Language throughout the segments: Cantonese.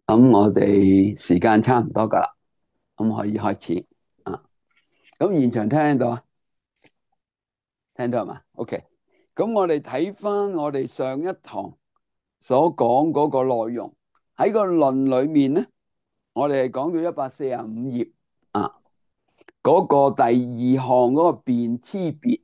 咁我哋時間差唔多噶啦，咁可以開始啊。咁現場聽唔聽到啊？聽到係嘛？OK。咁我哋睇翻我哋上一堂所講嗰個內容，喺個論裏面咧，我哋係講到145頁啊。嗰個第二項嗰個辨差別，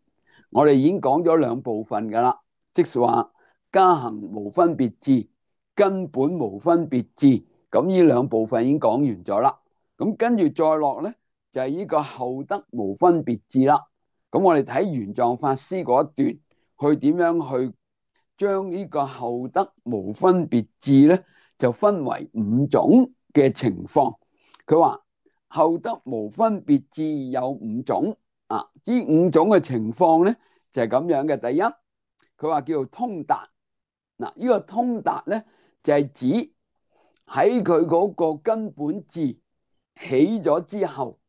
我哋已經講咗兩部分噶啦，即是話加行無分別智、根本無分別智。咁呢兩部分已經講完咗啦。咁跟住再落咧，就係呢個後得無分別智啦。咁我哋睇玄奘法師嗰一段，去點樣去將呢個後得無分別智咧，就分為五種嘅情況。佢話後得無分別智有五種啊，呢五種嘅情況咧就係咁樣嘅。第一，佢話叫做通達。嗱，呢個通達咧就係指喺佢嗰個根本智起咗之後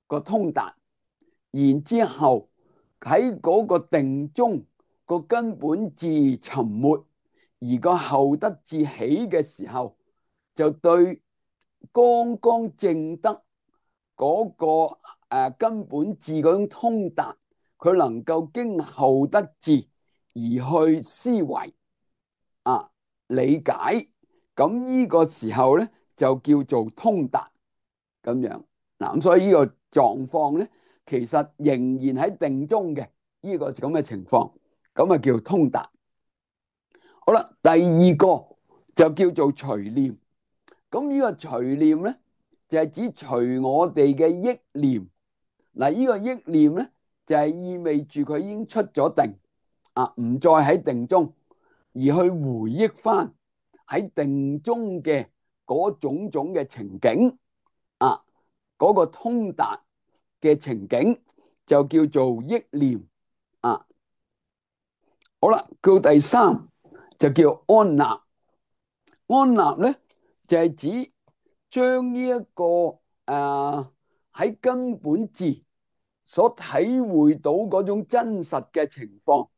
個通達，然之後喺嗰個定中個根本智沉沒，而個後得智起嘅時候，就對剛剛證得嗰個根本智嗰種通達，佢能夠經後得智而去思維啊理解，咁呢個時候咧就叫做通達咁樣。嗱，咁所以呢個狀況咧，其實仍然喺定中嘅呢個咁嘅情況，咁啊叫通達。好啦，第二個就叫做隨念。咁呢個隨念咧，就係指隨我哋嘅憶念。嗱，呢個憶念咧，就係意味住佢已經出咗定啊，唔再喺定中，而去回憶翻喺定中嘅嗰種種嘅情景啊，嗰個通達嘅情景就叫做憶念啊。好啦，到第三就叫安立。安立咧就係指將呢一個喺根本智所體會到嗰種真實嘅情況，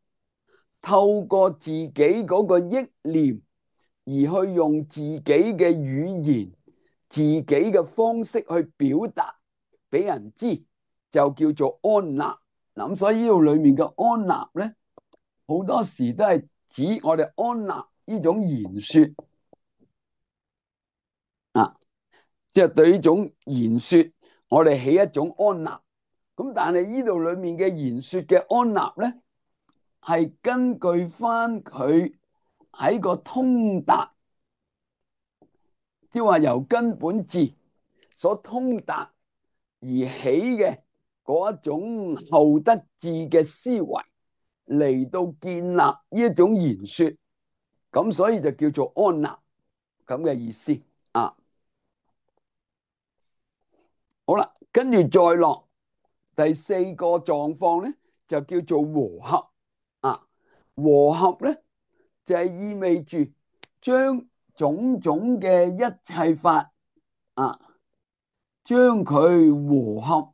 透過自己嗰個憶念而去用自己嘅語言、自己嘅方式去表達俾人知，就叫做安立。咁所以呢度裏面嘅安立咧，好多時都係指我哋安立呢種言說啊，即係對呢種言說，我哋起一種安立。咁但係呢度裏面嘅言說嘅安立咧，係根據翻佢喺個通達，即係話由根本智所通達而起嘅嗰一種後得智嘅思維嚟到建立呢一種言說，咁所以就叫做安立咁嘅意思啊。好啦，跟住再落第四個狀況咧，就叫做和合啊。和合咧就係意味住將種種嘅一切法啊，將佢和合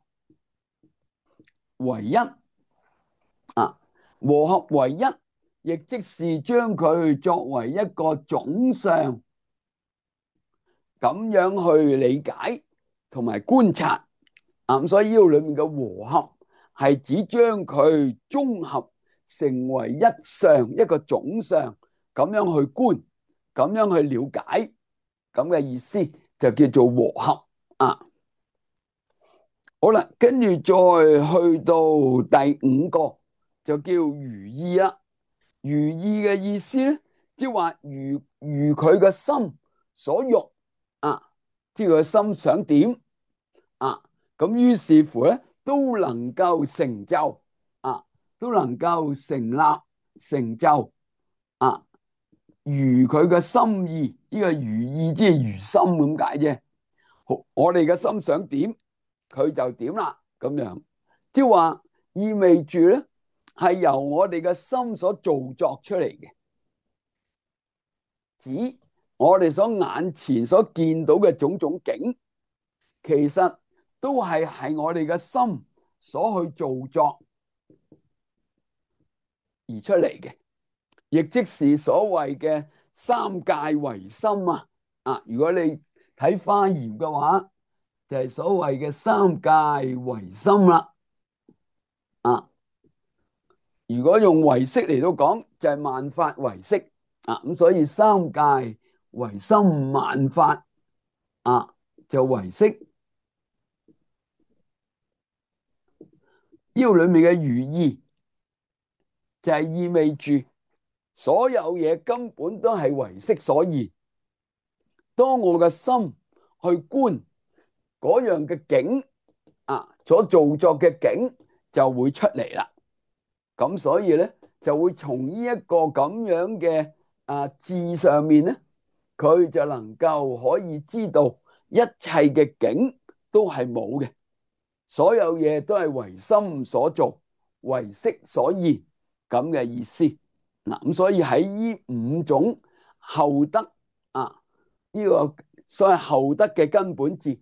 為一啊。和合為一，亦即是將佢作為一個總相，咁樣去理解同埋觀察啊。咁所以呢度裏面嘅和合係指將佢綜合成為一相，一個總相，咁樣去觀，咁樣去了解，咁嘅意思就叫做和合啊。好啦，跟住再去到第五個就叫如意啦。如意嘅意思咧，即係話如佢個心所欲啊，即係佢個心想點啊，咁於是乎咧都能夠成就啊，都能夠成立成就啊，如佢嘅心意。呢個如意即係如心咁解啫。我哋嘅心想點，佢就點啦，咁樣即係話意味住咧係由我哋嘅心所造作出嚟嘅，指我哋所眼前所見到嘅種種景，其實都係我哋嘅心所去造作而出嚟嘅，亦即是所謂嘅三界唯心啊。如果你睇花葉嘅話，就係所謂嘅三界唯心啦。啊，如果用唯識嚟到講，就係萬法唯識。啊，咁所以三界唯心，萬法啊就唯識。呢個裏面嘅寓意就係意味住所有嘢根本都係唯識所現。當我嘅心去觀嗰樣嘅境啊，所造作嘅境就會出嚟啦。咁所以咧就會從呢一個咁樣嘅字上面咧，佢就能夠可以知道一切嘅境都係冇嘅，所有嘢都係唯心所造、唯識所現咁嘅意思。嗱，咁所以喺呢五種後得呢個所謂後得嘅根本字，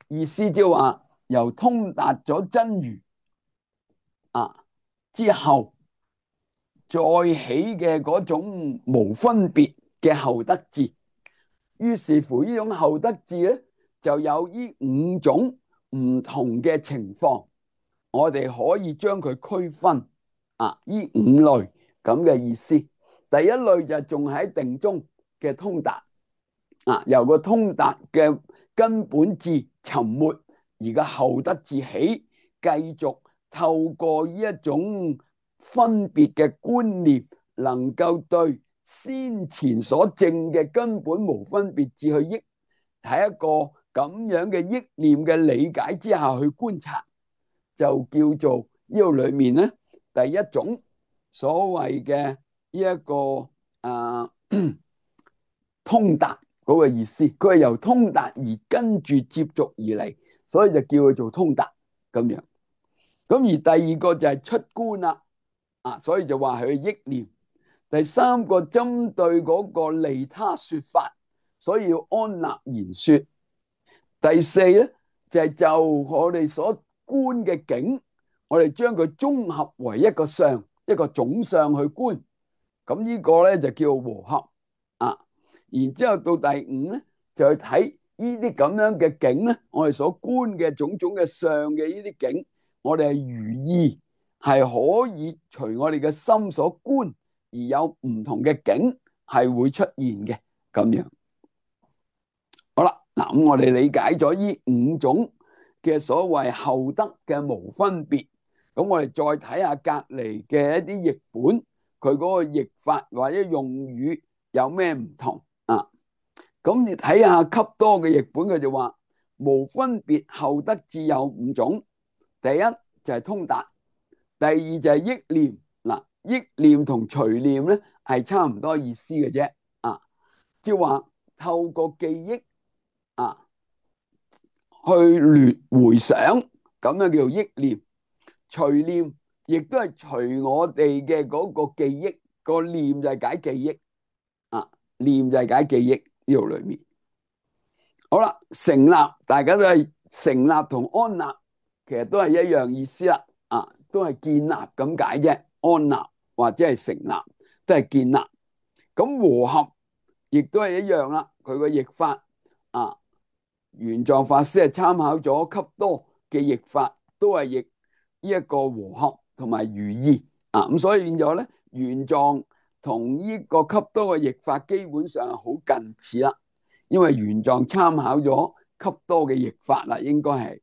意思即係話由通達咗真如之後再起嘅嗰種無分別嘅後得智。於是乎呢種後得智咧，就有呢五種唔同嘅情況，我哋可以將佢區分呢五類咁嘅意思。第一類就仲喺定中嘅通達由個通達嘅根本智沉沒，而個後得智起，繼續透過呢一種分別嘅觀念，能夠對先前所證嘅根本無分別智去憶，喺一個咁樣嘅憶念嘅理解之下去觀察，就叫做呢度裏面咧第一種所謂嘅呢一個通達嗰個意思。佢係由通達而跟住接續而嚟，所以就叫佢做通達咁樣。咁而第二個就係出觀啦，所以就話佢憶念。第三個針對嗰個利他說法，所以要安立言說。第四咧就係就我哋所觀嘅境，我哋將佢綜合為一個相，一個總相去觀。咁呢個咧就叫和合然之後到第五咧，就去睇呢啲咁樣嘅境咧，我哋所觀嘅種種嘅相嘅呢啲境，我哋係如意，係可以隨我哋嘅心所觀而有唔同嘅境係會出現嘅咁樣。好啦，嗱咁我哋理解咗呢五種嘅所謂後得嘅無分別，咁我哋再睇下隔籬嘅一啲譯本，佢嗰個譯法或者用語有咩唔同咁你睇下笈多嘅譯本，佢就話無分別後得智有五種。第一就係通達，第二就係憶念。憶念同隨念咧係差唔多意思嘅啫即係話透過記憶去回想，咁樣叫做憶念。隨念亦都係隨我哋嘅嗰個記憶，個念就係解記憶念就係解記憶呢度裏面。好啦，成立大家都係成立同安立，其實都係一樣意思啦都係建立咁解啫。安立或者係成立都係建立。咁和合亦都係一樣啦，佢個譯法玄奘法師係參考咗笈多嘅譯法，都係譯呢一個和合同埋如意咁所以變咗咧，玄奘同呢個笈多嘅譯法基本上係好近似啦，因為玄奘參考咗笈多嘅譯法啦，應該係。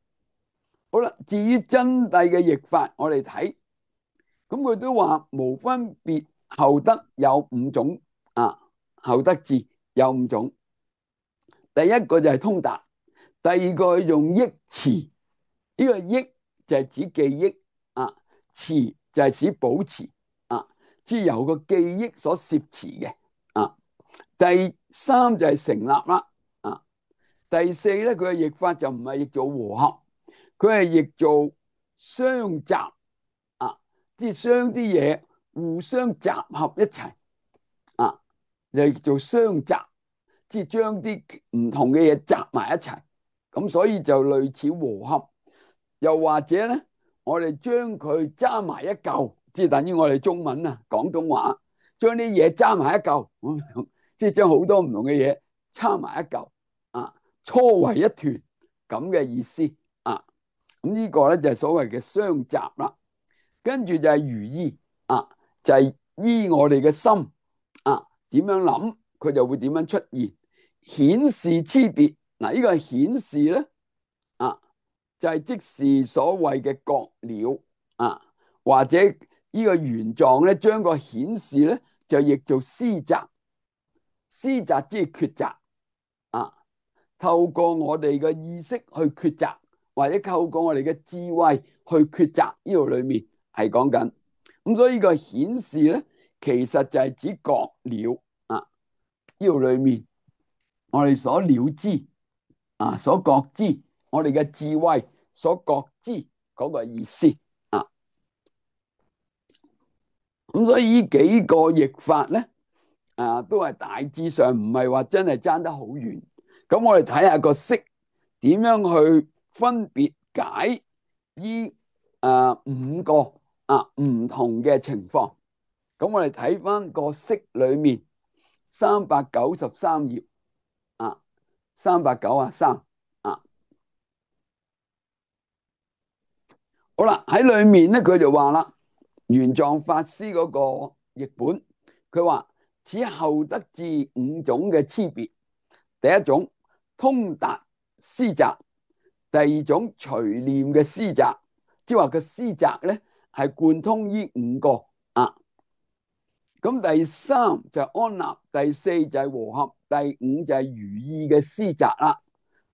好啦，至於真諦嘅譯法，我哋睇，咁佢都話無分別後得有五種後得智有五種。第一個就係通達，第二個用憶持，呢個憶就係指記憶持就係指保持即係由個記憶所攝持嘅第三就係成立啦第四咧，佢嘅譯法就唔係譯做和合，佢係譯做相集即係將啲嘢互相集合一齊就叫做相集，即係將啲唔同嘅嘢集埋一齊，咁所以就類似和合。又或者咧，我哋將佢揸埋一嚿，即係等於我哋中文廣東話將啲嘢揸埋一嚿咁樣，即係將好多唔同嘅嘢揸埋一嚿搓為一團咁嘅意思啊。咁呢個咧就係所謂嘅相習啦。跟住就係如意啊，就係依我哋嘅心啊，點樣諗佢就會點樣出現，顯示差別。嗱，呢個係顯示咧啊，就係即是所謂嘅覺了啊，或者呢個原狀咧，將個顯示咧就譯做思擇，思擇即係抉擇啊。透過我哋嘅意識去抉擇，或者透過我哋嘅智慧去抉擇，呢度裏面係講緊。咁所以呢個顯示咧，其實就係指覺了啊。呢度裏面我哋所了知啊，所覺知，我哋嘅智慧所覺知嗰個意思啊。咁所以呢幾個譯法咧啊，都係大致上唔係話真係爭得好遠。咁我哋睇下個釋點樣去分別解呢五個唔同嘅情況。咁我哋睇翻個釋裏面393頁啊，393啊。好啦，喺裏面咧佢就話啦，玄奘法師嗰個譯本，佢話此後得至五種嘅差別。第一種通達思擇，第二種隨念嘅思擇，即係話個思擇咧係貫通呢五個啊。咁第三就係安立，第四就係和合，第五就係如意嘅思擇啦。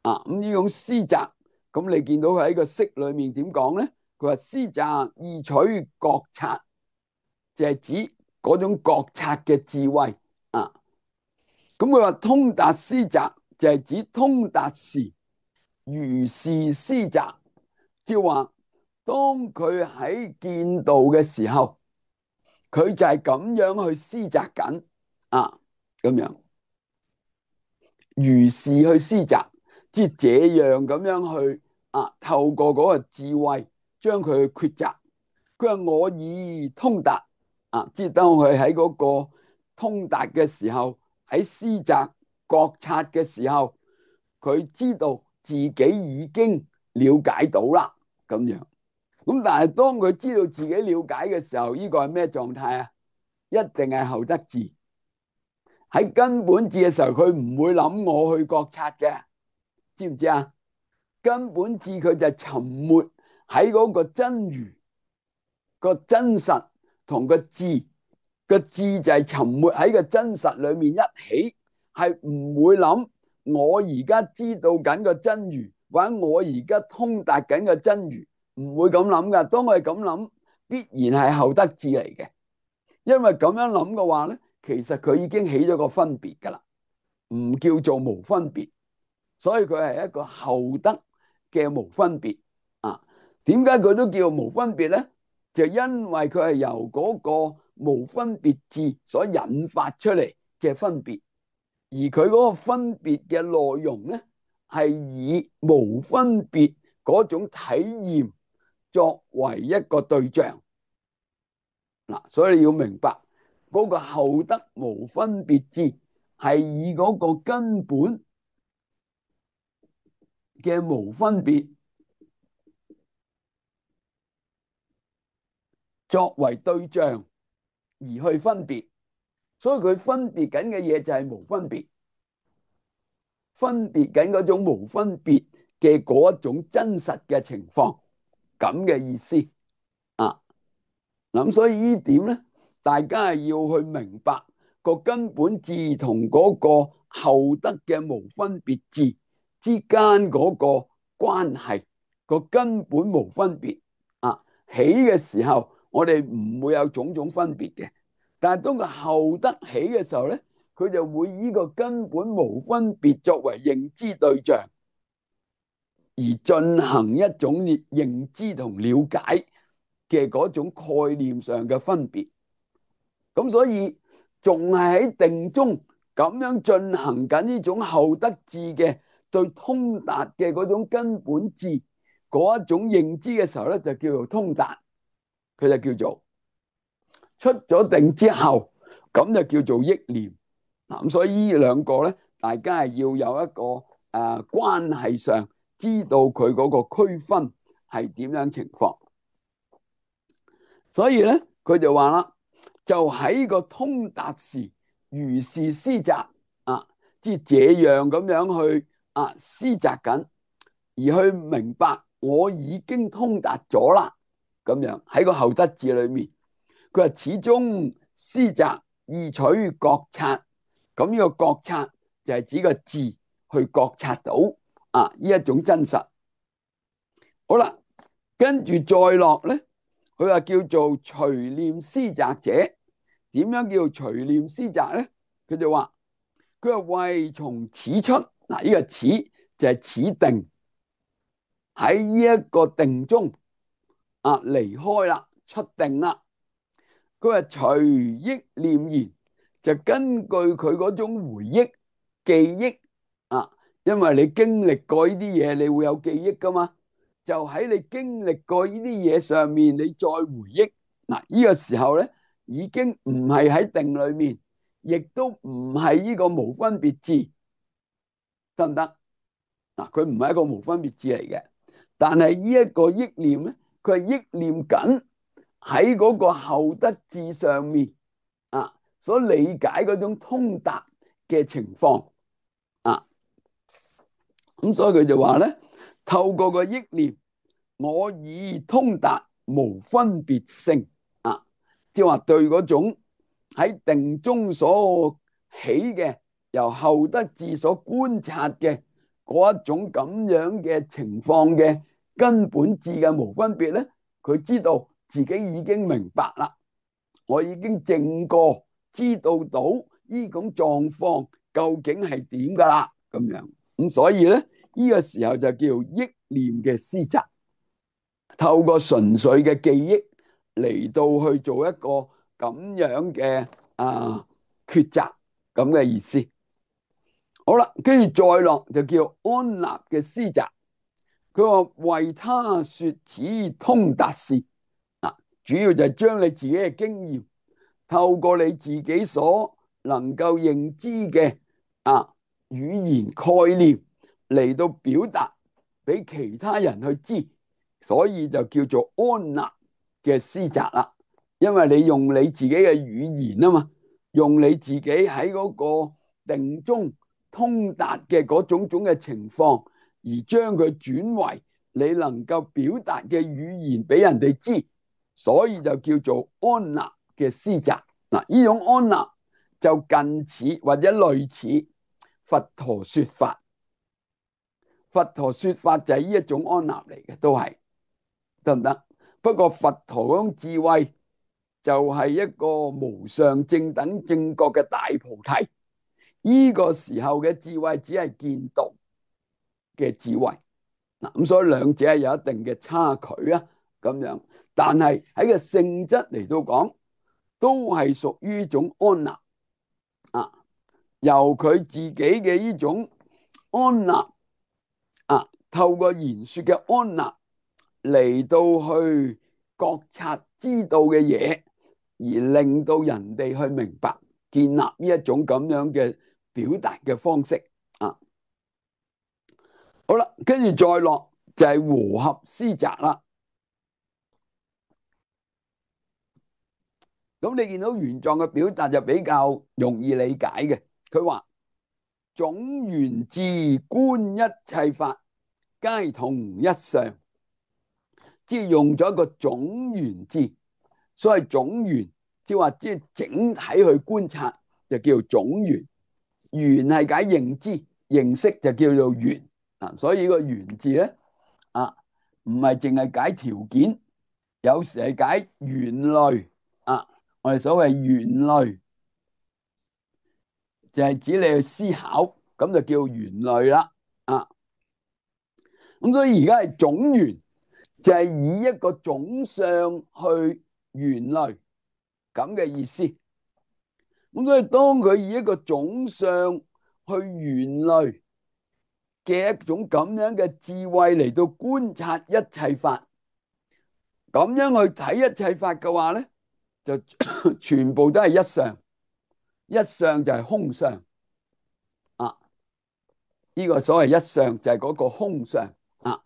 啊，咁呢種思擇，咁你見到佢喺個釋裏面點講咧？佢話思擇意取覺察，就係指嗰種覺察嘅智慧啊。咁佢話通達思擇就係指通達時如是思擇，即係話當佢喺見道嘅時候，佢就係咁樣去思擇緊啊，咁樣如是去思擇，即係這樣咁樣去啊，透過嗰個智慧將佢去抉擇。佢話我已通達啊，即係當佢喺嗰個通達嘅時候，喺思擇覺察嘅時候，佢知道自己已經了解到啦，咁樣。咁但係當佢知道自己了解嘅時候，呢個係咩狀態啊？一定係後得智。喺根本智嘅時候，佢唔會諗我去覺察嘅，知唔知啊？根本智佢就沉沒喺嗰個真如個真實同個智，個智就係沉沒喺個真實裏面一起，係唔會諗我而家知道緊個真如，或者我而家通達緊個真如，唔會咁諗噶。當我係咁諗，必然係後得智嚟嘅，因為咁樣諗嘅話咧，其實佢已經起咗個分別噶啦，唔叫做無分別，所以佢係一個後得嘅無分別啊。點解佢都叫無分別咧？就因為佢係由嗰個無分別智所引發出嚟嘅分別，而佢嗰個分別嘅內容咧，係以無分別嗰種體驗作為一個對象嗱，所以你要明白嗰個後得無分別智係以嗰個根本嘅無分別作為對象而去分別，所以佢分別緊嘅嘢就係無分別，分別緊嗰種無分別嘅嗰一種真實嘅情況，咁嘅意思啊。咁所以呢點咧，大家係要去明白個根本智同嗰個後得嘅無分別智之間嗰個關係，個根本無分別啊。起嘅時候，我哋唔會有種種分別嘅，但係當個後得起嘅時候咧，佢就會以個根本無分別作為認知對象，而進行一種認知同了解嘅嗰種概念上嘅分別。咁所以仲係喺定中咁樣進行緊呢種後得智嘅對通達嘅嗰種根本智嗰一種認知嘅時候咧，就叫做通達。佢就叫做出咗定之後，咁就叫做憶念嗱。咁所以呢兩個咧，大家係要有一個關係上知道佢嗰個區分係點樣情況。所以咧，佢就話啦，就喺個通達時，如是思擇啊，即係這樣咁樣去思擇緊，而去明白我已經通達咗啦。咁樣喺個後得字裏面，佢話始終思擇意取覺察，咁呢個覺察就係指個字去覺察到呢一種真實。好啦，跟住再落咧，佢話叫做隨念思擇者。點樣叫隨念思擇咧？佢就話佢話為從此出，呢個此就係此定，喺呢一個定中離開啦，出定啦。佢話隨憶念言，就根據佢嗰種回憶記憶因為你經歷過呢啲嘢，你會有記憶噶嘛，就喺你經歷過呢啲嘢上面，你再回憶呢個時候咧，已經唔係喺定裏面，亦都唔係呢個無分別智，得唔得？佢唔係一個無分別智嚟嘅，但係呢一個憶念咧，佢係憶念緊喺嗰個後得智上面所理解嗰種通達嘅情況咁所以佢就話咧，透過個憶念，我已通達無分別性即係話對嗰種喺定中所起嘅，由後得智所觀察嘅嗰一種咁樣嘅情況嘅根本智嘅無分別咧，佢知道自己已經明白啦，我已經證過知道到呢種狀況究竟係點噶啦，咁樣咁所以咧呢個時候就叫憶念嘅思擇，透過純粹嘅記憶嚟到去做一個咁樣嘅抉擇咁嘅意思。好啦，跟住再落就叫安立嘅思擇。佢話為他說此通達事主要就係將你自己嘅經驗透過你自己所能夠認知嘅語言概念嚟到表達俾其他人去知，所以就叫做安立嘅思擇啦。因為你用你自己嘅語言嘛，用你自己喺嗰個定中通達嘅嗰種種嘅情況，而將佢轉為你能夠表達嘅語言俾人哋知，所以就叫做安立嘅思擇。呢種安立就近似或者類似佛陀說法。佛陀說法就係呢一種安立嚟嘅，都係得唔得？不過佛陀嗰種智慧就係一個無上正等正覺嘅大菩提，呢個時候嘅智慧只係見道嘅智慧咁所以兩者係有一定嘅差距咁樣，但係喺個性質嚟到講，都係屬於一種安立由佢自己嘅呢種安立透過言說嘅安立嚟到去覺察知道嘅嘢，而令到人哋去明白，建立呢一種咁樣嘅表達嘅方式好啦，跟住再落就係和合思擇啦。咁你見到原狀嘅表達就比較容易理解嘅。佢話總緣智觀一切法，皆同一相，即係用咗一個總緣智。所謂總緣，即係話即係整體去觀察，就叫做總緣。緣係解認知、認識，就叫做緣所以呢個緣字咧唔係淨係解條件，有時係解緣類我哋所謂緣類就係指你去思考，咁就叫緣類啦咁所以而家係總緣，就係以一個總相去緣類咁嘅意思。咁所以當佢以一個總相去緣類嘅一種咁樣嘅智慧嚟到觀察一切法，咁樣去睇一切法嘅話咧，就全部都係一相，一相就係空相呢個所謂一相就係嗰個空相啊。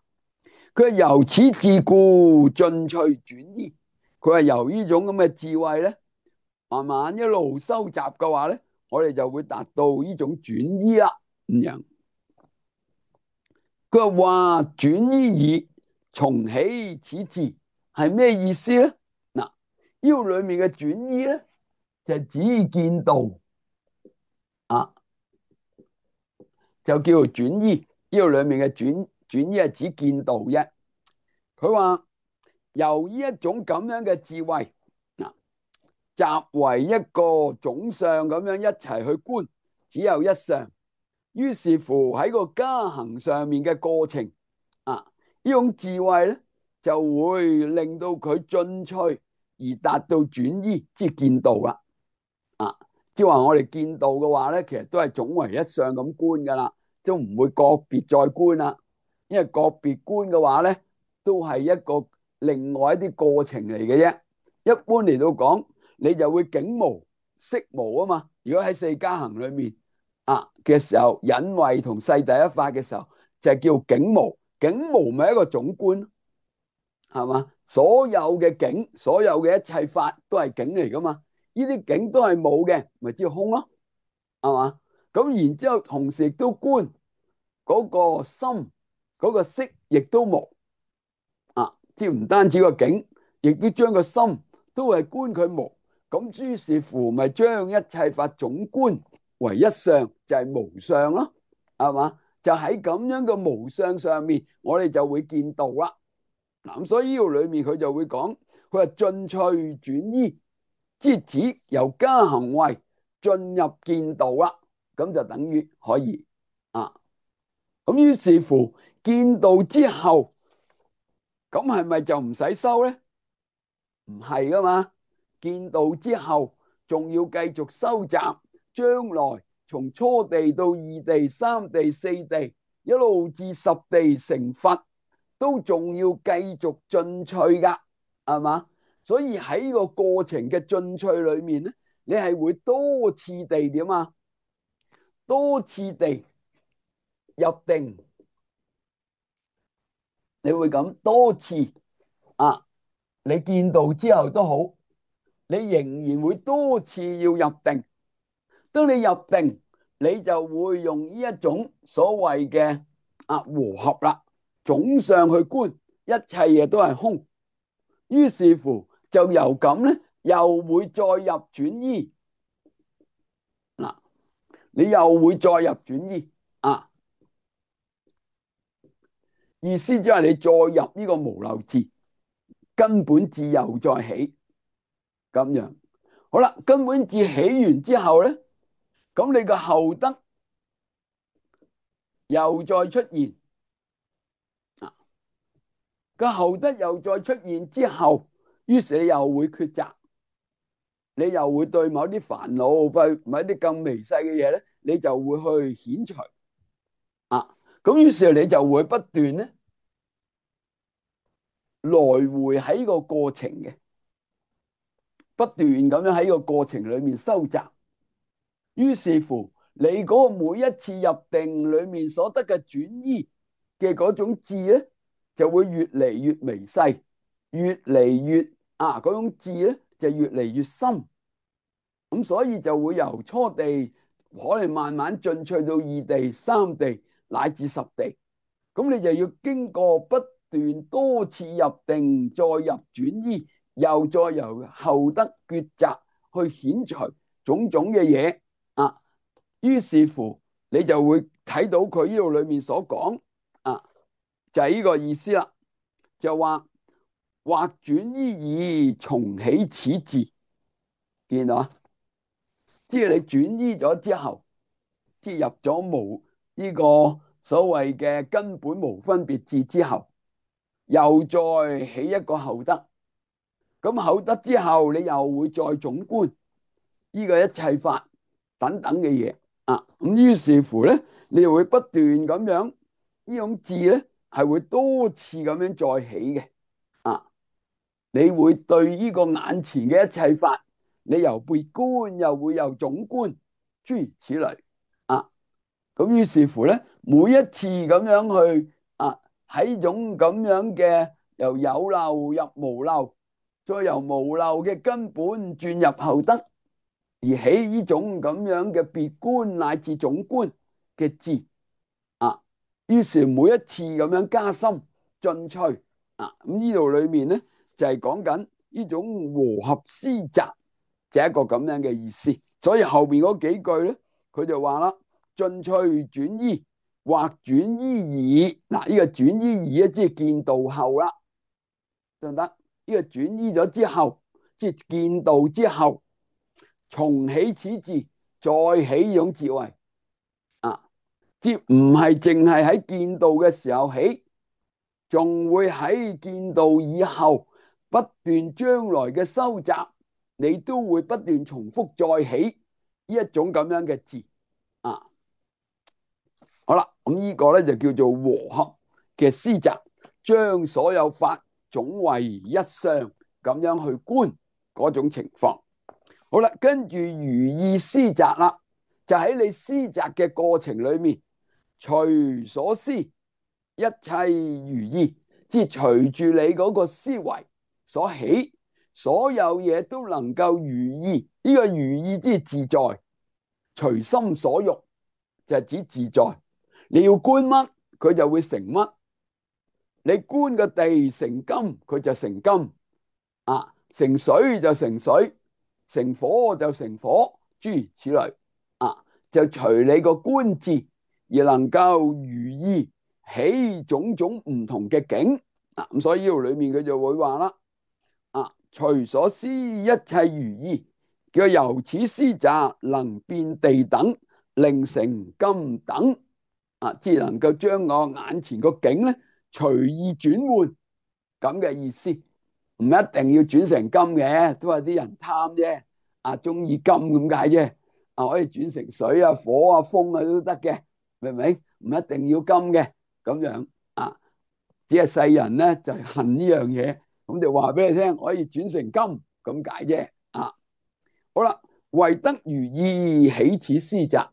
佢係由此智故，進趣轉依。佢係由呢種咁嘅智慧咧，慢慢一路收集嘅話咧，我哋就會達到呢種轉依啦。咁樣，佢話轉依已，從起此智係咩意思咧？嗱，呢個裏面嘅轉依咧，就係指見道啊，就叫做轉依。呢個裏面嘅轉依係指見道啫。佢話由呢一種咁樣嘅智慧嗱，集為一個總相咁樣一齊去觀，只有一相。於是乎喺個加行上面嘅過程啊，呢種智慧咧就會令到佢進趣而達到轉依，即係見道啦。啊，即係話我哋見道嘅話咧，其實都係總為一相咁觀噶啦，都唔會個別再觀啦。因為個別觀嘅話咧，都係一個另外一啲過程嚟嘅啫。一般嚟到講，你就會境無色無啊嘛。如果喺四加行裏面嘅時候，隱慧同世第一法嘅時候，就係叫境無。境無咪一個總觀，係嘛？所有嘅境，所有嘅一切法都係境嚟噶嘛。呢啲境都係冇嘅，咪叫空咯，係嘛？咁然之後，同時亦都觀嗰個心，嗰個色亦都無即係唔單止個境，亦都將個心都係觀佢無。咁於是乎，咪將一切法總觀為一相，就係無相咯，係嘛？就喺咁樣嘅無相上面，我哋就會見道啦。嗱，咁所以呢度裏面佢就會講，佢話進趣轉依，即係指由加行位進入見道啦。咁就等於可以咁於是乎見道之後，咁係咪就唔使修咧？唔係噶嘛，見道之後仲要繼續收集，將來從初地到二地、三地、四地，一路至十地成佛，都仲要繼續進趣噶，係嘛？所以喺呢個過程嘅進趣裏面咧，你係會多次地點啊？多次地入定，你會咁多次你見道之後都好，你仍然會多次要入定。當你入定，你就會用呢一種所謂嘅和合啦，總相去觀，一切嘢都係空。於是乎就由咁咧，又會再入轉依嗱，你又會再入轉依意思即係你再入呢個無漏智，根本智又再起咁樣。好啦，根本智起完之後咧，咁你個後得又再出現個後得又再出現之後，於是你又會抉擇，你又會對某啲煩惱，對某啲更微細嘅嘢咧，你就會去遣除咁於是你就會不斷咧來回喺個過程嘅，不斷咁樣喺個過程裏面收集。於是乎，你嗰個每一次入定裏面所得嘅轉依嘅嗰種智咧，就會越嚟越微細，越嚟越嗰種智咧就越嚟越深。咁所以就會由初地可能慢慢進趣到二地、三地乃至十地。咁你就要經過不斷多次入定，再入轉依，又再由後得抉擇去遣除種種嘅嘢於是乎你就會睇到佢呢度裏面所講就係呢個意思啦。就話或轉依已，從起此智，見到即係你轉依咗之後，即係入咗無呢個所謂嘅根本無分別智之後，又再起一個後得。咁後得之後，你又會再總觀呢個一切法等等嘅嘢咁於是乎咧，你又會不斷咁樣呢種智咧，係會多次咁樣再起嘅你會對呢個眼前嘅一切法，你由被觀又會由總觀，諸如此類咁於是乎咧，每一次咁樣去喺種咁樣嘅由有漏入無漏，再由無漏嘅根本轉入後得，而起呢種咁樣嘅別觀乃至總觀嘅智於是每一次咁樣加深進趣咁呢度裏面咧就係講緊呢種和合思雜，就係一個咁樣嘅意思。所以後邊嗰幾句咧，佢就話啦：進趣轉依，或轉依已。嗱，呢個轉依已咧，即係見道後啦，得唔得？呢個轉依咗之後，即係見道之後，重起此智，再起呢種智慧即唔係淨係喺見道嘅時候起，仲會喺見道以後不斷將來嘅收集，你都會不斷重複再起呢一種咁樣嘅智好啦，咁呢個咧就叫做和合嘅思雜，將所有法總為一相咁樣去觀嗰種情況。好啦，跟住如意思雜啦，就喺你思雜嘅過程裏面，隨所思一切如意，即係隨住你嗰個思維所起，所有嘢都能夠如意。呢個如意即係自在，隨心所欲就係指自在。你要觀乜，佢就會成乜。你觀個地成金，佢就成金成水就成水，成火就成火，諸如此類就隨你個觀智而能夠如意起種種唔同嘅境咁所以呢度裏面佢就會話啦隨所思一切如意，叫由此思雜能變地等，令成金等只能夠將我眼前個境咧隨意轉換咁嘅意思，唔一定要轉成金嘅，都係啲人貪啫中意金咁解啫可以轉成水火風都得嘅，明唔明？唔一定要金嘅咁樣只係世人咧就係恨呢樣嘢，咁就話俾你聽可以轉成金咁解啫好啦，為得如意起此思雜，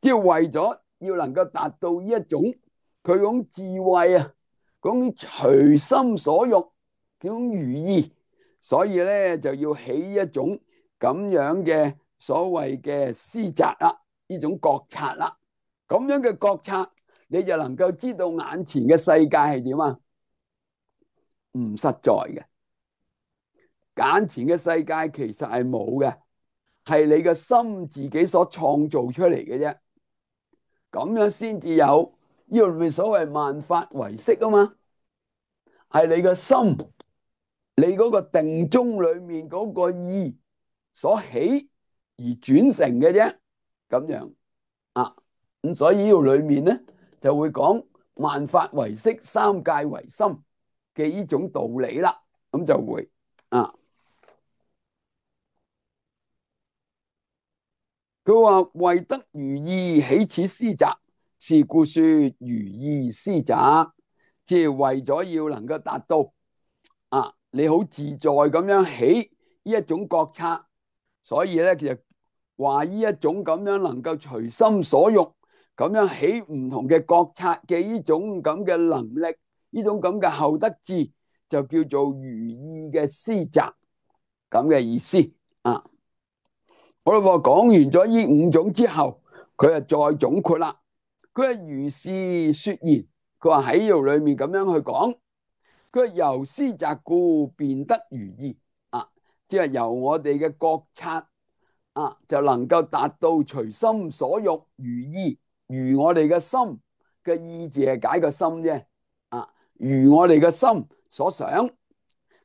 即係為咗要能夠達到呢一種佢種智慧嗰種隨心所欲嗰種如意，所以咧就要起一種咁樣嘅所謂嘅思雜呢種覺察咁樣嘅覺察，你就能夠知道眼前嘅世界係點唔實在嘅，眼前嘅世界其實係冇嘅，係你嘅心自己所創造出嚟嘅啫。咁樣先至有呢個咪所謂萬法唯識嘛，係你嘅心，你嗰個定中裏面嗰個意所起而轉成嘅啫，咁樣咁所以呢度裏面咧就會講萬法唯識，三界唯心嘅呢種道理啦，咁就會佢話為得如意起此思雜，是故說如意思雜，即係為咗要能夠達到你好自在咁樣起呢一種覺察，所以咧其實話呢一種咁樣能夠隨心所欲咁樣起唔同嘅覺察嘅呢種咁嘅能力，呢種咁嘅後得智，就叫做如意嘅思雜咁嘅意思好啦，講完咗呢五種之後，佢就再總括啦。佢係如是說言，佢話喺呢度裏面咁樣去講，佢係由思雜故便得如意即係由我哋嘅覺察就能夠達到隨心所欲如意，如我哋嘅心嘅意字係解個心啫如我哋嘅心所想，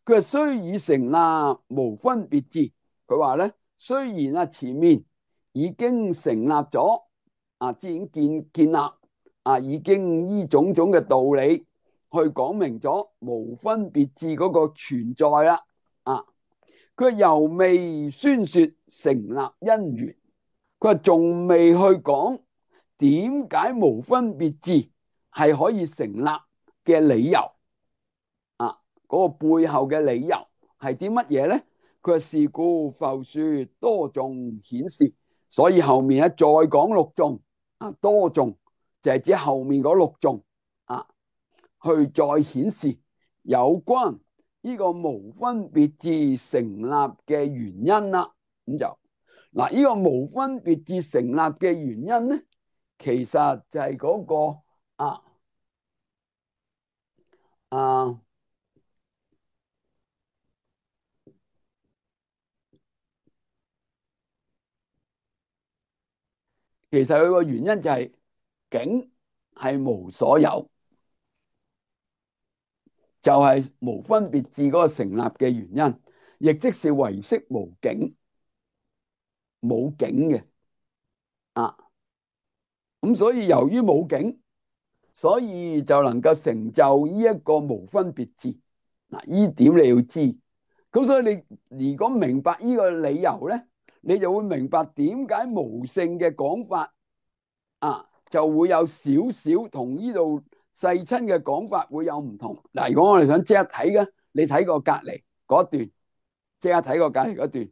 佢係雖已成立無分別智，佢話咧。雖然前面已經成立咗已經建立已經依種種嘅道理去講明咗無分別智嗰個存在啦佢猶未宣說成立因緣，佢話仲未去講點解無分別智係可以成立嘅理由嗰個背後嘅理由係啲乜嘢咧？佢話是故復說多頌顯示，所以後面再講六頌多頌就係指後面嗰6頌去再顯示有關呢個無分別智成立嘅原因啦。咁就呢個無分別智成立嘅原因咧，其實就係嗰個其實佢個原因就係境係無所有，就係無分別智嗰個成立嘅原因，亦即是唯識無境，冇境嘅咁所以由於冇境，所以就能夠成就呢一個無分別智。呢點你要知。咁所以你如果明白呢個理由咧，你就會明白點解無性嘅講法就會有少少同呢度世親嘅講法會有唔同。嗱，如果我哋想即刻睇嘅，你睇過隔離嗰段，即刻睇過隔離嗰段，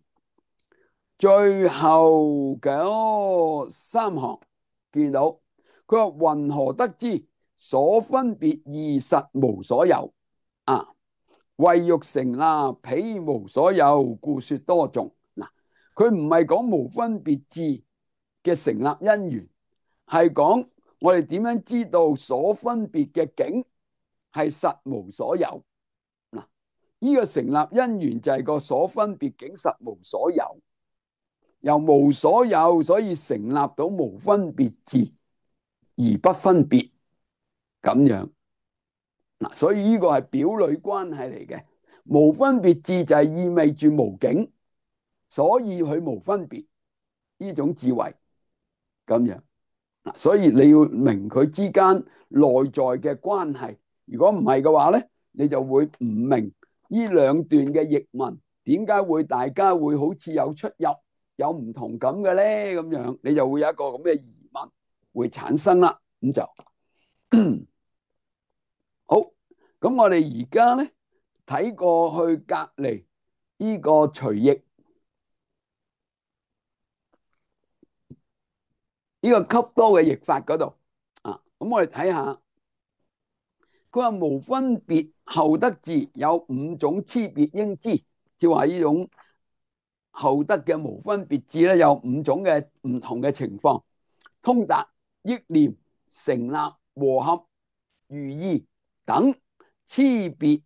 最後嗰3行見到佢話云何得知所分別義實無所有為欲成立彼無所有，故說多頌。嗱，佢唔係講無分別智嘅成立因緣，係講我哋點樣知道所分別嘅境係實無所有。嗱，呢個成立因緣就係個所分別境實無所有，由無所有所以成立到無分別智而不分別咁樣。所以呢個係表裏關係嚟嘅。無分別智就係意味住無境，所以佢無分別呢種智慧咁樣。所以你要明佢之間內在嘅關係。如果唔係嘅話咧，你就會唔明呢兩段嘅譯文點解會大家會好似有出入、有唔同咁嘅咧？咁樣你就會有一個咁嘅疑問會產生啦。咁就好。咁我哋而家咧睇過去隔離呢個隨譯呢個笈多嘅譯法嗰度咁我哋睇下，佢話無分別後得智有5種差別應知，即係話呢種後得嘅無分別智咧有5種嘅唔同嘅情況：通達、憶念、成立、和合、如意等差別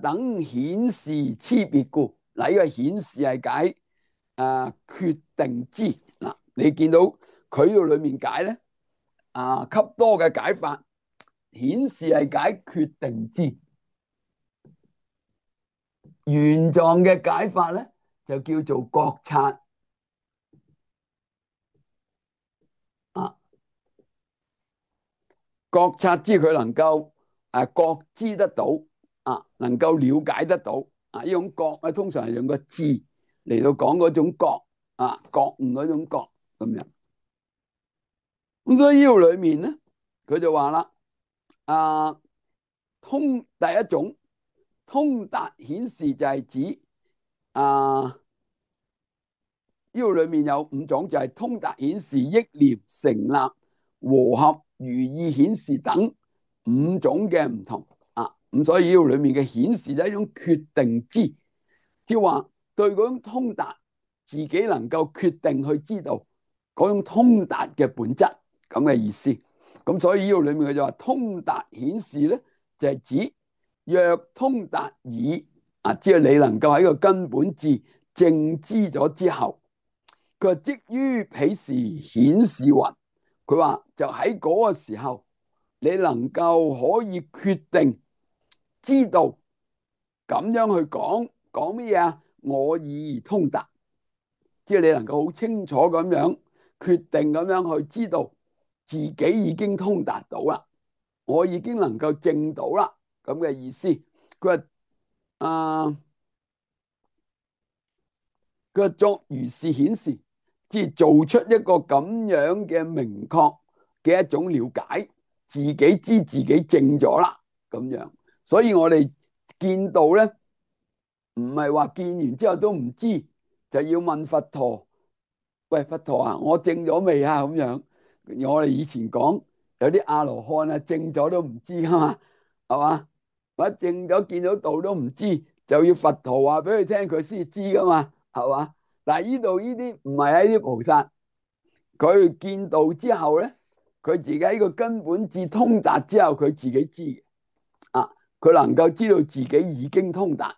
等顯示差別故。嗱，呢個顯示係解決定知。嗱，你見到佢呢度裏面解咧笈多嘅解法，顯示係解決定知。原狀嘅解法咧就叫做覺察覺察知佢能夠覺知得到能夠了解得到呢種覺咧，通常係用個智嚟到講嗰種覺覺悟嗰種覺咁樣。咁所以呢度裏面咧，佢就話啦第一種通達顯示就係指呢度裏面有5種，就係通達顯示、憶念、成立、和合、如意顯示等5種嘅唔同咁所以呢度裏面嘅顯示就係一種決定知，即係話對嗰種通達自己能夠決定去知道嗰種通達嘅本質咁嘅意思。咁所以呢度裏面佢就話通達顯示咧就係指若通達已即係你能夠喺個根本智正知咗之後，佢即於彼時顯示云，佢話就喺嗰個時候你能夠可以決定知道咁樣去講咩嘢我已通達，即係你能夠好清楚咁樣決定咁樣去知道自己已經通達到啦，我已經能夠證到啦咁嘅意思。佢話佢作如是顯示，即係做出一個咁樣嘅明確嘅一種了解，自己知自己證咗啦咁樣。所以我哋見到咧，唔係話見完之後都唔知，就要問佛陀：喂，佛陀啊，我證咗未啊？咁樣我哋以前講有啲阿羅漢啊，證咗都唔知噶嘛，係嘛？或者證咗見到道都唔知，就要佛陀話俾佢聽，佢先知噶嘛，係嘛？但係呢度呢啲唔係喺啲菩薩，佢見道之後咧，佢自己喺個根本智通達之後，佢自己知嘅。啊，佢能夠知道自己已經通達，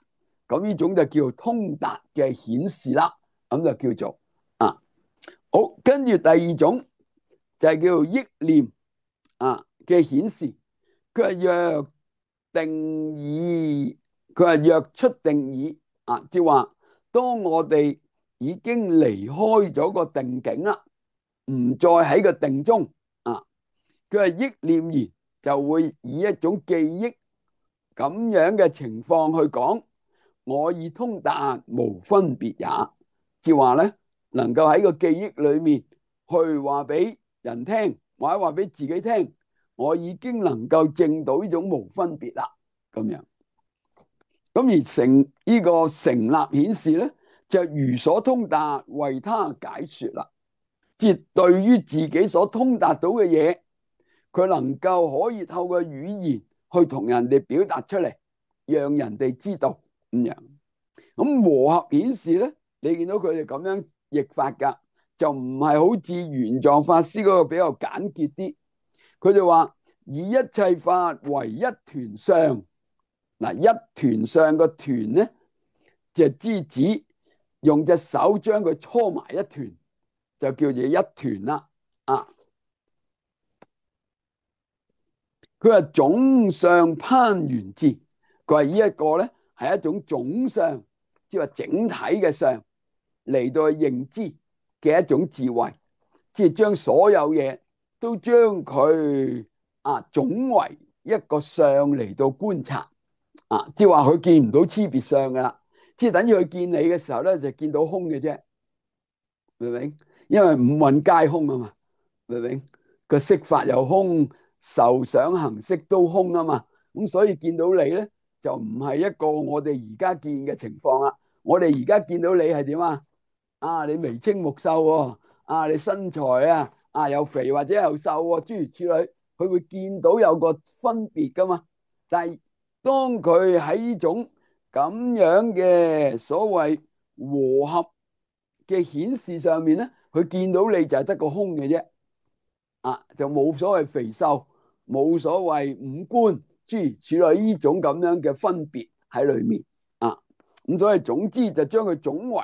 咁呢種就叫通達嘅顯示啦，咁就叫做啊。好，跟住第二種就係叫做憶念嘅顯示，佢係若定已，佢係若出定已即係話當我哋已經離開咗個定境啦，唔再喺個定中佢係憶念而就會以一種記憶咁樣嘅情況去講，我已通達無分別也，即係話咧，能夠喺個記憶裏面去話俾人聽，或者話俾自己聽，我已經能夠證到呢種無分別啦，咁樣。咁而成呢個成立顯示咧，就如所通達為他解說啦，即係對於自己所通達到嘅嘢，佢能夠可以透過語言去同人哋表達出嚟，讓人哋知道咁樣。咁和合顯示咧，你見到佢哋咁樣譯法噶，就唔係好似玄奘法師嗰個比較簡潔啲。佢就話以一切法為一團相，嗱，一團相個團咧就指用隻手將佢搓埋一團，就叫做一團啦。佢話總相攀緣智，佢話呢一個咧係一種總相，即係話整體嘅相嚟到去認知嘅一種智慧，即係將所有嘢都將佢總為一個相嚟到觀察即係話佢見唔到差別相噶啦，即係等於佢見你嘅時候咧就見到空嘅啫，明唔明？因為五蘊皆空啊嘛，明唔明？個色法又空，受想行識都空啊嘛，咁所以見到你咧就唔係一個我哋而家見嘅情況啦。我哋而家見到你係點啊？你眉清目秀喎，你身材又肥或者又瘦喎，諸如此類，佢會見到有個分別噶嘛。但係當佢喺呢種咁樣嘅所謂和合嘅顯示上面咧，佢見到你就係得個空嘅啫。就冇所謂肥瘦，冇所謂五官，諸如此類呢種咁樣嘅分別喺裏面咁所以總之就將佢總為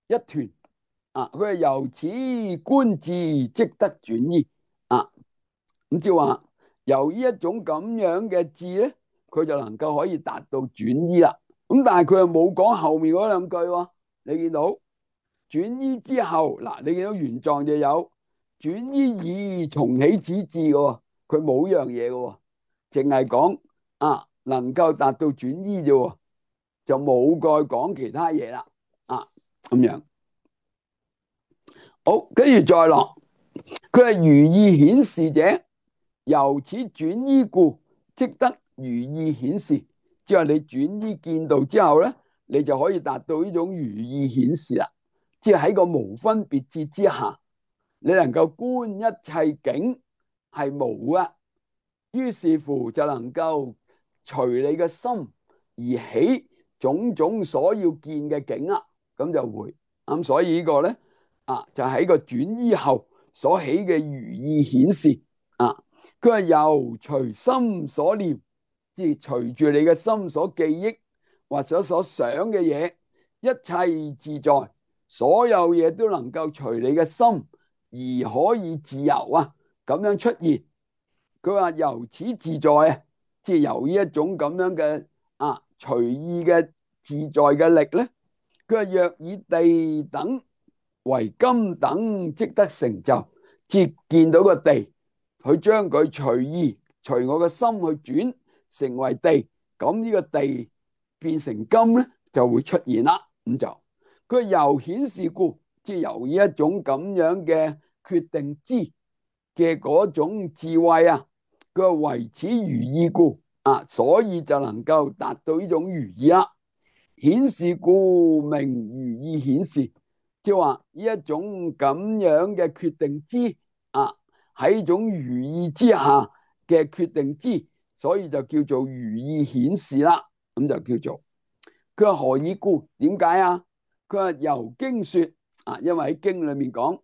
一團佢係由此觀智即得轉依咁即係話由呢一種咁樣嘅智咧，佢就能夠可以達到轉依啦。咁但係佢又冇講後面嗰兩句喎，你見到轉依之後你見到原狀就有。轉依已從起此智嘅，佢冇樣嘢嘅，淨係講能夠達到轉依啫，就冇再講其他嘢啦咁樣。好，跟住再落，佢係如意顯示者，由此轉依故，即得如意顯示。即係你轉依見道之後咧，你就可以達到呢種如意顯示啦。即係喺個無分別智之下。你能夠觀一切境係無啊，於是乎就能夠隨你嘅心而起種種所要見嘅境啦，咁就會咁。所以呢個咧就喺個轉依後所起嘅如意顯示佢係由隨心所念，即係隨住你嘅心所記憶或者所想嘅嘢，一切自在，所有嘢都能夠隨你嘅心而可以自由咁樣出現。佢話由此自在即係由呢一種咁樣嘅隨意嘅自在嘅力咧。佢話若以地等為金等，即得成就。即係見到個地，佢將佢隨意隨我嘅心去轉成為地，咁呢個地變成金咧就會出現啦。咁就佢由顯示故，即係由呢一種咁樣嘅決定知嘅嗰種智慧佢話為此如意故所以就能夠達到呢種如意啦。顯示故名如意顯示，即係話呢一種咁樣嘅決定知喺一種如意之下嘅決定之，所以就叫做如意顯示啦。咁就叫做佢話何以故？點解啊？佢話由經說啊，因為喺經裏面講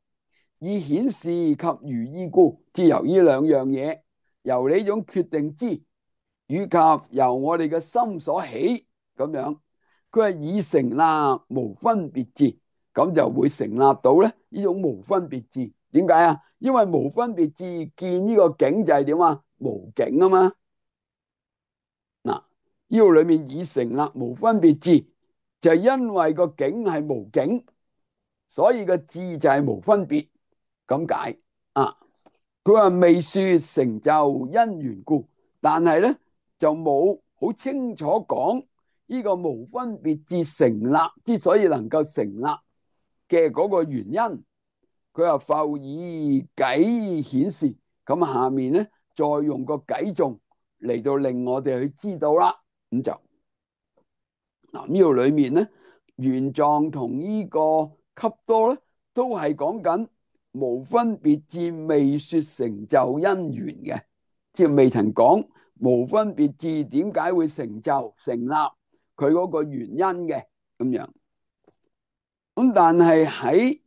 以顯示及如意故，即由呢兩樣嘢，由呢種決定之，以及由我哋嘅心所起咁樣。佢話以成立無分別智，咁就會成立到咧呢種無分別智。點解啊？因為無分別智見呢個境就係點啊？無境啊嘛。嗱，呢度裏面以成立無分別智，就係因為個境係無境，所以個智就係無分別咁解啊。佢話未說成就因緣故，但係咧就冇好清楚講呢個無分別智成立之所以能夠成立嘅嗰個原因。佢話復以偈顯示，咁下面咧再用個偈頌嚟到令我哋去知道啦。咁就嗱，呢度裏面咧，玄奘同呢個笈多咧都係講緊無分別智未說成就因緣嘅，即係未曾講無分別智點解會成就成立佢嗰個原因嘅咁樣。咁但係喺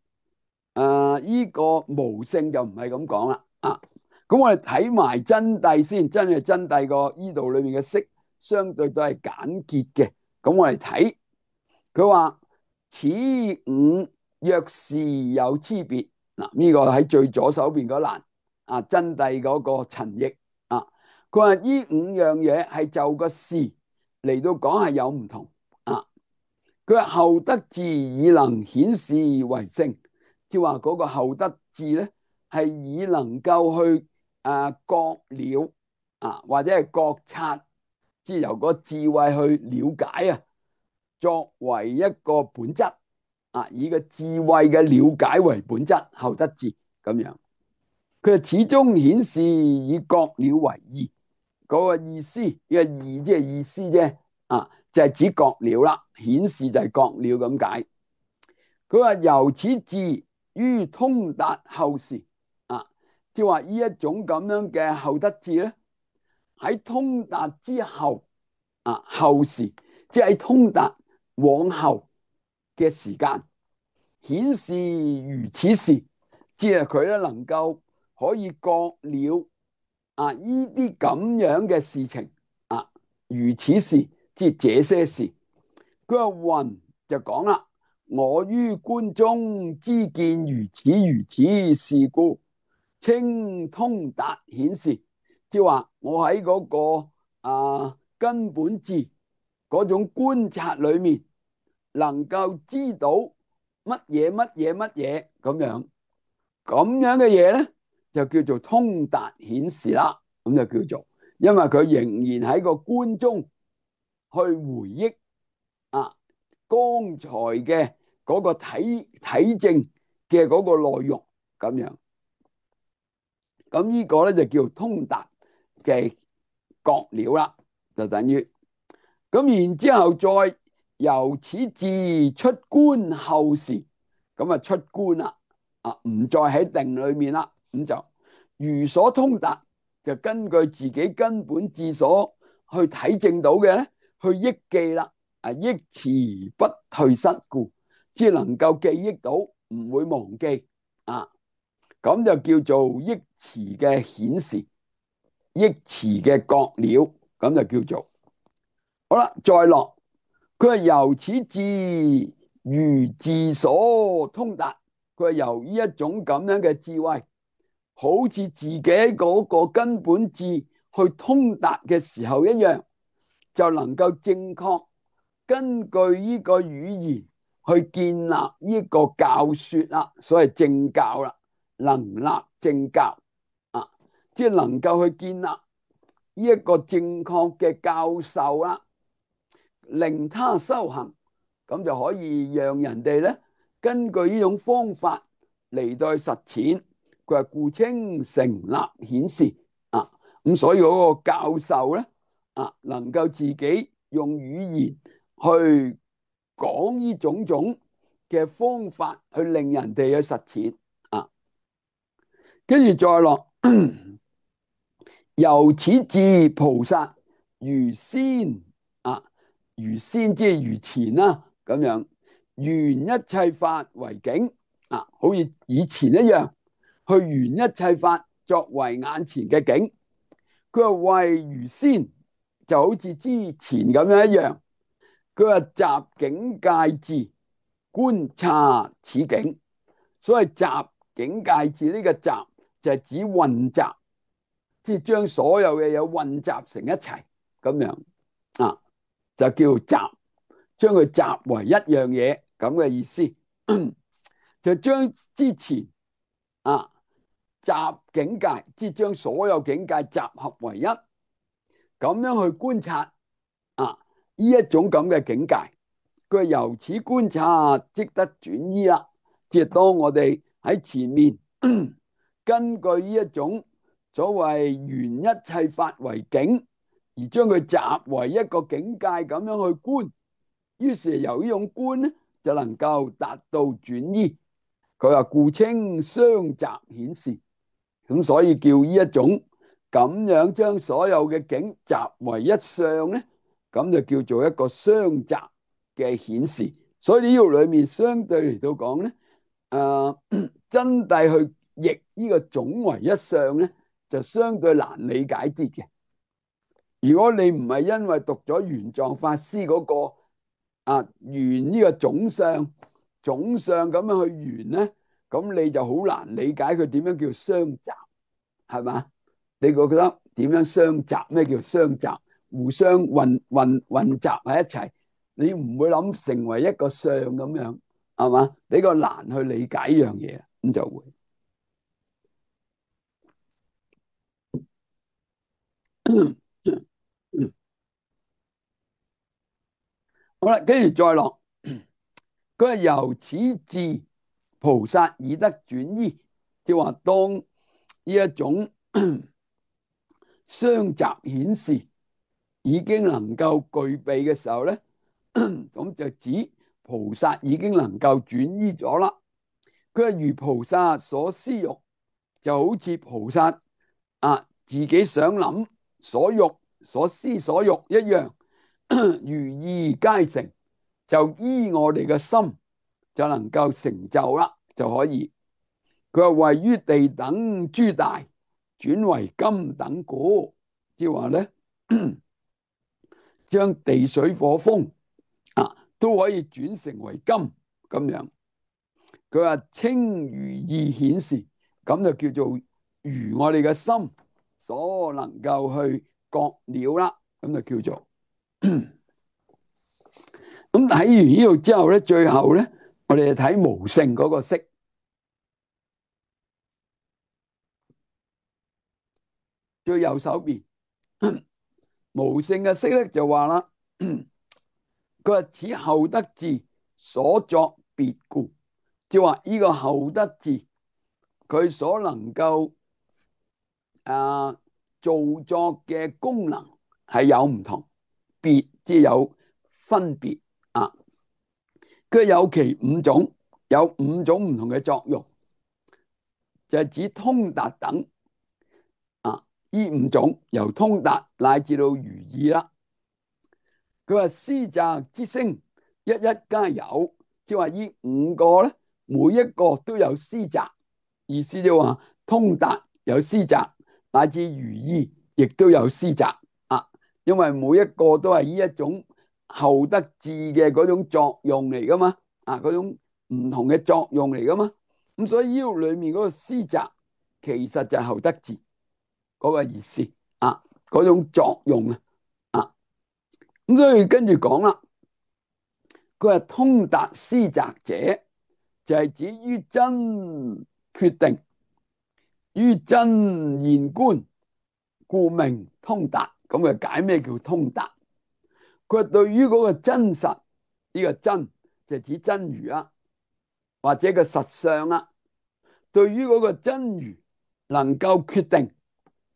呢個無性就唔係咁講啦。咁我哋睇埋真諦先，真係真諦個呢度裏面嘅釋相對都係簡潔嘅。咁我哋睇佢話此五若是有差別，嗱，呢個喺最左手邊嗰欄啊，真諦嗰個陳譯啊，佢話呢五樣嘢係就個事嚟到講係有唔同啊。佢話後得智以能顯示為性，即係話嗰個後得智咧係以能夠去覺了啊，或者係覺察，即係由個智慧去了解啊，作為一個本質啊，以個智慧嘅了解為本質，後得智咁樣。佢始終顯示以覺了為義，嗰個意思呢個義即係意思啫啊，就係指覺了啦，顯示就係覺了咁解。佢話由此智於通達後時啊，即係話呢一種咁樣嘅後得智咧，喺通達之後啊，後時即係喺通達往後嘅時間，顯示如此事，即係佢咧能夠可以覺了啊呢啲咁樣嘅事情啊，如此事即係這些事。佢話云就講啦，我於觀中知見如此如此事故，稱通達顯示，即係話我喺嗰個根本智嗰種觀察裏面，能夠知道乜嘢乜嘢乜嘢咁樣嘅嘢咧，就叫做通達顯示啦。咁就叫做，因為佢仍然喺個觀中去回憶啊剛才嘅嗰個體證嘅嗰個內容咁樣。咁呢個咧就叫通達嘅覺了啦，就等於咁。然之後再由此智出觀後時，咁啊出觀啦，唔再喺定裏面啦，咁就如所通達，就根據自己根本智所去體證到嘅咧，去憶記啦，憶持不退失故，只能夠記憶到，唔會忘記啊。咁就叫做憶持嘅顯示，憶持嘅覺了，咁就叫做好啦。再落，佢係由此智如自所通達，佢係由呢一種咁樣嘅智慧，好似自己嗰個根本智去通達嘅時候一樣，就能夠正確根據呢個語言去建立呢個教說啦，所謂正教啦，能立正教啊，即係能夠去建立呢一個正確嘅教授啦，令他修行，咁就可以讓人哋咧根據呢種方法嚟到去實踐。佢話故稱成立顯示啊，咁所以嗰個教授咧能夠自己用語言去講呢種種嘅方法，去令人哋去實踐啊。跟住再落，由此智菩薩如先啊，如先即係如前啦，咁樣緣一切法為境啊，好似以前一樣去緣一切法作為眼前嘅境。佢話為如先就好似之前咁樣一樣。佢話集境界智觀察此境，所謂集境界智呢個集就係指混雜，即係將所有嘅嘢混雜成一齊咁樣啊，就叫集，將佢集為一樣嘢咁嘅意思。就將之前啊集境界，即係將所有境界集合為一，咁樣去觀察啊呢一種咁嘅境界。佢由此觀察即得轉依啦，即係當我哋喺前面根據呢一種所謂緣一切法為境，而將佢集為一個境界咁樣去觀，於是由呢種觀咧就能夠達到轉依。佢話故稱相集顯示，咁所以叫呢一種咁樣將所有嘅境集為一相咧，咁就叫做一個相集嘅顯示。所以呢度裏面相對嚟到講咧，真諦去譯呢個總為一相咧，就相對難理解啲嘅。如果你唔係因為讀咗玄奘法師嗰個緣呢個總相咁樣去緣咧，咁你就好難理解佢點樣叫相集，係嘛？你覺得點樣相集？咩叫相集？互相混雜喺一齊，你唔會諗成為一個相咁樣，係嘛？比較難去理解呢樣嘢，咁就會好啦。跟住再落，佢係由此智菩薩已得轉依，即係話當呢一種相集顯示已經能夠具備嘅時候咧，咁就指菩薩已經能夠轉依咗啦。佢係如菩薩所思欲，就好似菩薩自己想諗所欲所思所欲一樣，如意皆成，就依我哋嘅心就能夠成就啦，就可以。佢話位於地等諸大，轉為金等故，即係話咧，將地水火風都可以轉成為金咁樣。佢話稱如意顯示，咁就叫做如我哋嘅心所能夠去覺了啦，咁就叫做。咁睇完呢度之後咧，最後咧，我哋就睇無性嗰個色，最右手邊無性嘅色咧就話啦，佢話此後得智所作別故，即係話呢個後得智佢所能夠造作嘅功能係有唔同，別即係有分別啊。佢有其五種，有五種唔同嘅作用，就係指通達等呢五種，由通達乃至到如意啦。佢話思擇之聲一一皆有，即係話呢五個咧，每一個都有思擇，意思就話通達有思擇，乃至如意亦都有思擇因為每一個都係呢一種後得智嘅嗰種作用嚟噶嘛，嗰種唔同嘅作用嚟噶嘛。咁所以呢度裏面嗰個思擇其實就係後得智嗰個意思嗰種作用咁所以跟住講啦，佢話通達思擇者，就係指於真決定，於真現觀，故名通達。咁嘅解咩叫通達？佢話對於嗰個真實，呢個真就指真如或者個實相對於嗰個真如能夠決定，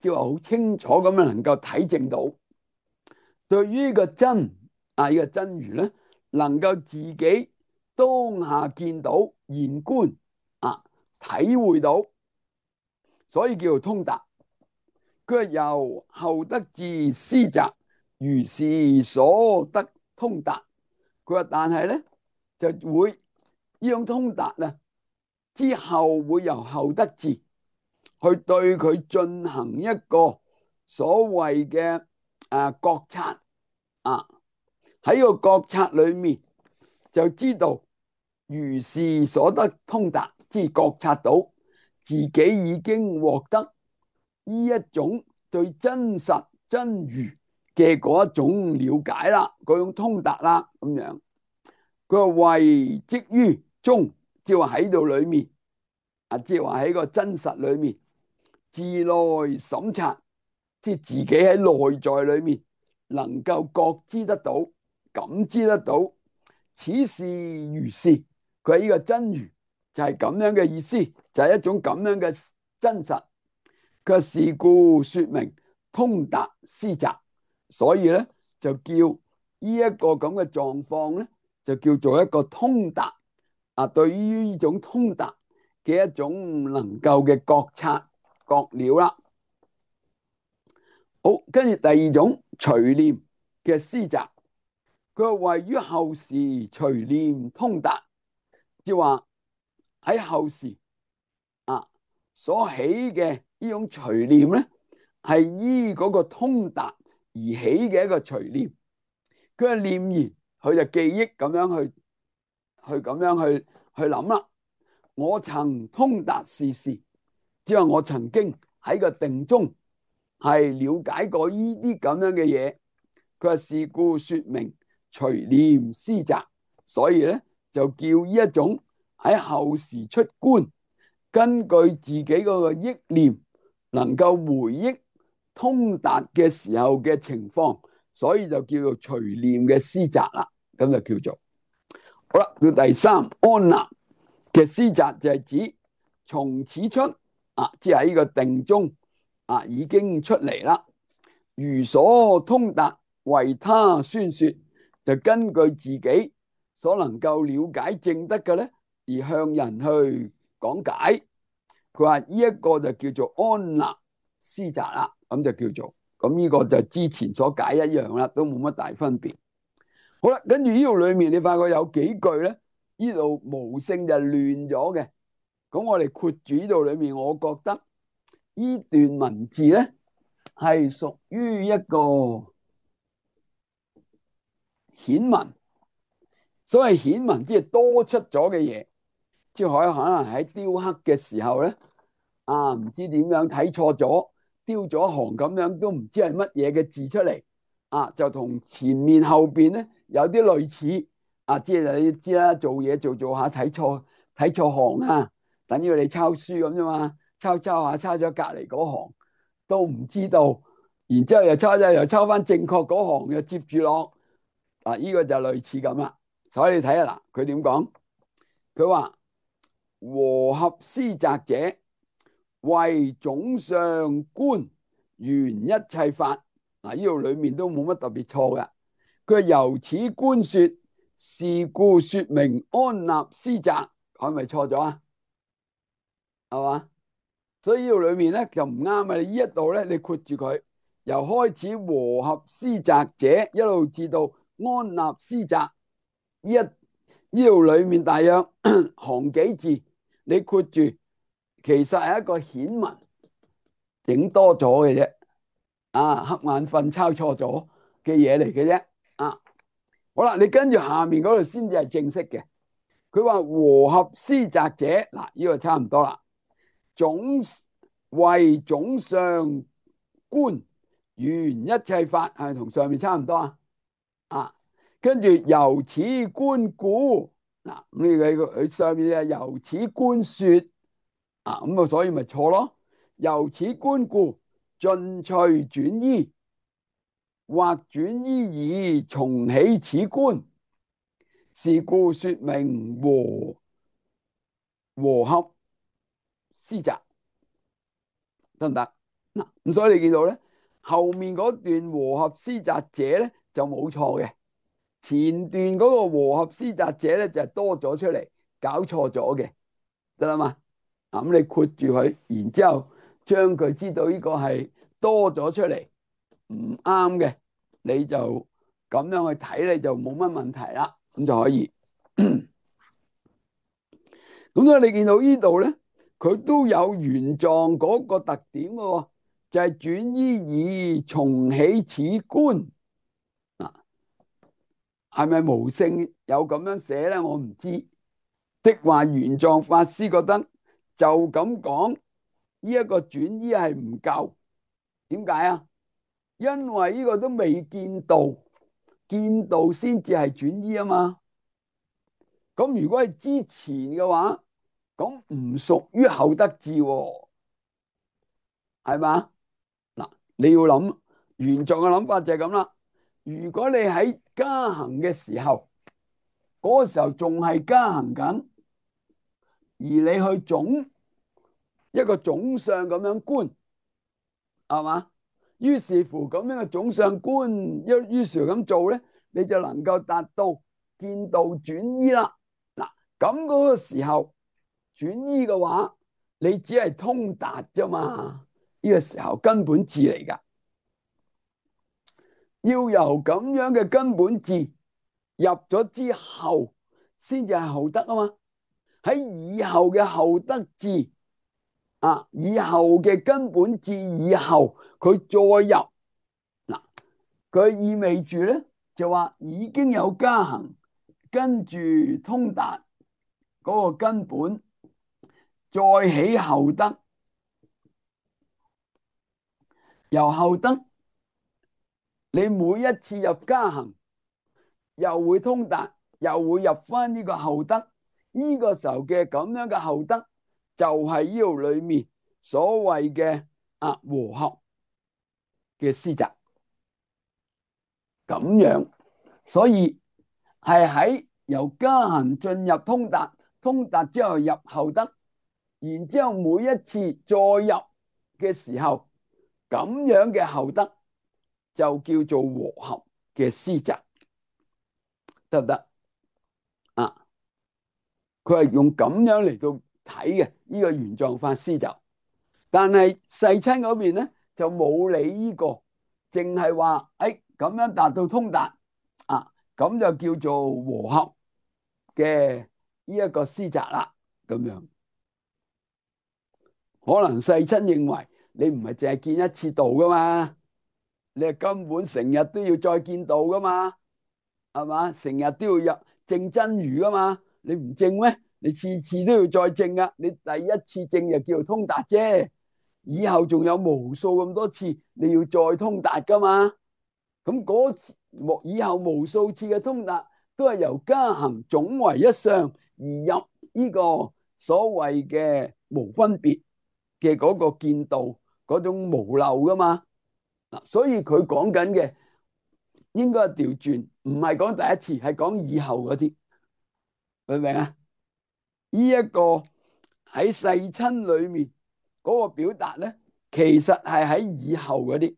即係話好清楚咁樣能夠體證到。對於呢個真呢個真如咧，能夠自己當下見到現觀體會到，所以叫做通達。佢係由後得至思擇，如是所得通達。佢話但係咧就會呢種通達啊之後會由後得至去對佢進行一個所謂嘅覺察啊，喺個覺察裏面就知道如是所得通達，即係覺察到自己已經獲得呢一種對真實真如嘅嗰一種了解啦，嗰種通達啦咁樣。佢話為即於中，即係話喺度裏面即係話喺個真實裏面自內審察，即係自己喺內在裏面能夠覺知得到、感知得到，此是如是。佢係呢個真如就係咁樣嘅意思，就係一種咁樣嘅真實。佢是故說明通達思擇，所以咧就叫呢一個咁嘅狀況咧，就叫做一個通達對於呢種通達嘅一種能夠嘅覺察覺了啦。好，跟住第二種隨念嘅思擇，佢係位於後時隨念通達，即係話喺後時所起嘅呢種隨念咧，係依嗰個通達而起嘅一個隨念。佢係念言，佢就記憶咁樣去咁樣去諗啦。我曾通達是事，即係我曾經喺個定中係了解過呢啲咁樣嘅嘢。佢話是故說明隨念思擇，所以咧就叫呢一種喺後時出觀，根據自己嗰個憶念能夠回憶通達嘅時候嘅情況，所以就叫做隨念嘅思擇啦。咁就叫做好啦。到第三安立嘅思擇就係指從此出即係喺呢個定中已經出嚟啦。如所通達為他宣說，就根據自己所能夠了解證得嘅咧，而向人去講解。佢話呢一個就叫做安立思擇啦，咁就叫做咁，呢個就之前所解一樣啦，都冇乜大分別。好啦，跟住呢度裏面你發覺有幾句咧，呢度無性就亂咗嘅。咁我哋括住呢度裏面，我覺得呢段文字咧係屬於一個顯文。所謂顯文，即係多出咗嘅嘢，即係可能喺雕刻嘅時候咧，唔知點樣睇錯咗，雕咗一行咁樣，都唔知係乜嘢嘅字出嚟，就同前面後邊咧有啲類似，即係你知啦，做嘢做下睇錯行啊，等於你抄書咁啫嘛，抄下抄咗隔籬嗰行都唔知道，然之後又抄翻正確嗰行，又接住落，呢個就類似咁啦。所以你睇下嗱，佢點講？佢話和合思擇者，為總相觀緣一切法。呢度裏面都冇乜特別錯嘅。佢由此觀說，是故說明安立思擇，係咪錯咗啊？係嘛？所以呢度裏面咧就唔啱啊！你呢一度咧，你括住佢，由開始和合思擇者一路至到安立思擇。呢度裏面大約行幾字，你括住，其實係一個顯文，整多咗嘅啫。瞌眼瞓抄錯咗嘅嘢嚟嘅啫。好啦，你跟住下面嗰度先至係正式嘅。佢話和合思擇者，嗱，呢個差唔多啦。為總相觀緣一切法，係咪同上面差唔多啊？跟住由此觀故，嗱，咁佢上面係由此觀說，咁所以咪錯咯。由此觀故，盡趣轉依，或轉依而重起此觀，是故說明和合思擇，得唔得？嗱，咁所以你見到咧，後面嗰段和合思擇者咧就冇錯嘅。前段嗰個和合思擇者咧就係多咗出嚟，搞錯咗嘅，得啦嘛。咁你括住佢，然之後將佢知道呢個係多咗出嚟唔啱嘅，你就咁樣去睇，你就冇乜問題啦，咁就可以。咁所以你見到呢度咧，佢都有原狀嗰個特點嘅喎，就係轉依而重起此觀。嗱，係咪無聖有咁樣寫咧？我唔知。的話玄奘法師覺得就咁講，呢一個轉依係唔夠。點解啊？因為呢個都未見道，見道先至係轉依啊嘛。咁如果係之前嘅話，咁唔屬於後得智喎，係嘛？嗱，你要諗玄奘嘅諗法就係咁啦。如果你喺加行嘅時候，嗰個時候仲係加行緊，而你去總一個總相咁樣觀，係嘛？於是乎咁樣嘅總相觀，於是乎咁做咧，你就能夠達到見道轉依啦。嗱，咁嗰個時候轉依嘅話，你只係通達啫嘛。呢個時候根本智嚟噶，要由咁樣嘅根本智入咗之後，先至係後得啊嘛。喺以後嘅後得智啊，以後嘅根本智以後，佢再入嗱，佢意味住咧就話已經有加行，跟住通達嗰個根本，再起後得，由後得你每一次入加行，又會通達，又會入翻呢個後得。呢個時候嘅咁樣嘅後得，就係呢度裏面所謂嘅和合嘅師侄咁樣。所以係喺由加行進入通達，通達之後入後得，然之後每一次再入嘅時候，咁樣嘅後得就叫做和合嘅師侄，得唔得啊？佢係用咁樣嚟到睇嘅呢個玄奘法師就，但係世親嗰邊咧就冇理呢個，淨係話誒咁樣達到通達啊，咁就叫做和合嘅呢一個師侄啦。咁樣可能世親認為你唔係淨係見一次道噶嘛，你係根本成日都要再見道噶嘛，係嘛？成日都要入證真如噶嘛，你唔證咩？你次次都要再證噶，你第一次證就叫做通達啫，以後仲有無數咁多次你要再通達噶嘛。咁嗰以後無數次嘅通達都係由加行總為一相而入呢個所謂嘅無分別嘅嗰個見道嗰種無漏噶嘛。嗱，所以佢講緊嘅應該係調轉，唔係講第一次，係講以後嗰啲，明唔明啊？呢一個喺世親裏面嗰個表達咧，其實係喺以後嗰啲，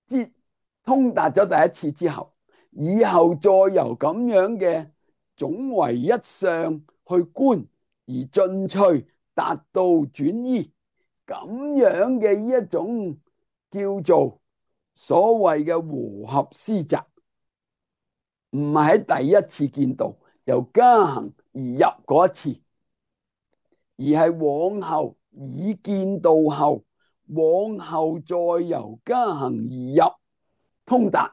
即通達咗第一次之後，以後再由咁樣嘅總為一相去觀而進趣達到轉依，咁樣嘅呢一種叫做所謂嘅和合師侄，唔係喺第一次見道由加行而入嗰一次，而係往後已見道後，往後再由加行而入通達，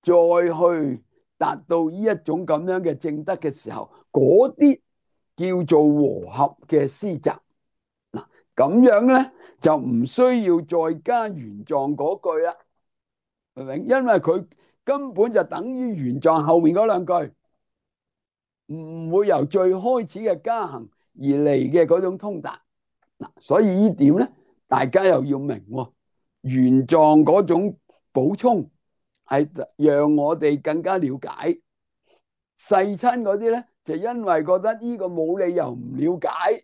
再去達到呢一種咁樣嘅正德嘅時候，嗰啲叫做和合嘅師侄。嗱，咁樣咧就唔需要再加玄奘嗰句啦，明唔明？因為佢根本就等於玄奘後面嗰兩句，唔會由最開始嘅加行而嚟嘅嗰種通達。嗱，所以呢點咧，大家又要明喎。玄奘嗰種補充係讓我哋更加了解，世親嗰啲咧就因為覺得呢個冇理由唔了解，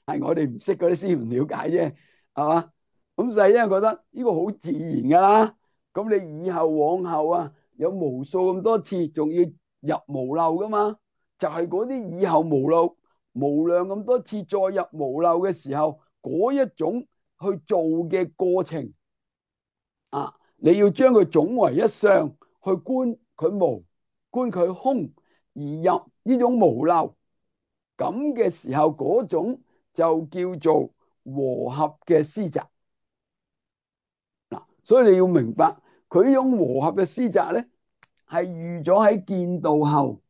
係我哋唔識嗰啲先唔了解啫，係嘛？咁世親覺得呢個好自然噶啦，咁你以後往後啊，有無數咁多次，仲要入無漏噶嘛？就係嗰啲以後無漏無量咁多次再入無漏嘅時候，嗰一種去做嘅過程啊，你要將佢總為一相去觀佢無，觀佢空，而入呢種無漏咁嘅時候，嗰種就叫做和合嘅施宅。嗱，所以你要明白，佢呢種和合嘅施宅咧，係預咗喺見道後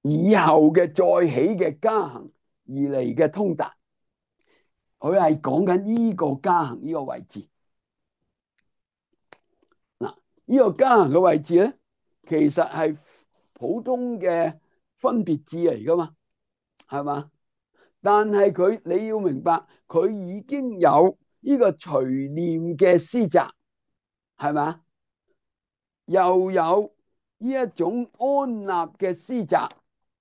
以後嘅再起嘅加行而嚟嘅通達。佢係講緊呢個加行呢個位置。嗱，呢個加行嘅位置咧，其實係普通嘅分別字嚟噶嘛，係嘛？但係你要明白，佢已經有呢個隨念嘅施宅，係嘛？又有呢一種安立嘅施宅，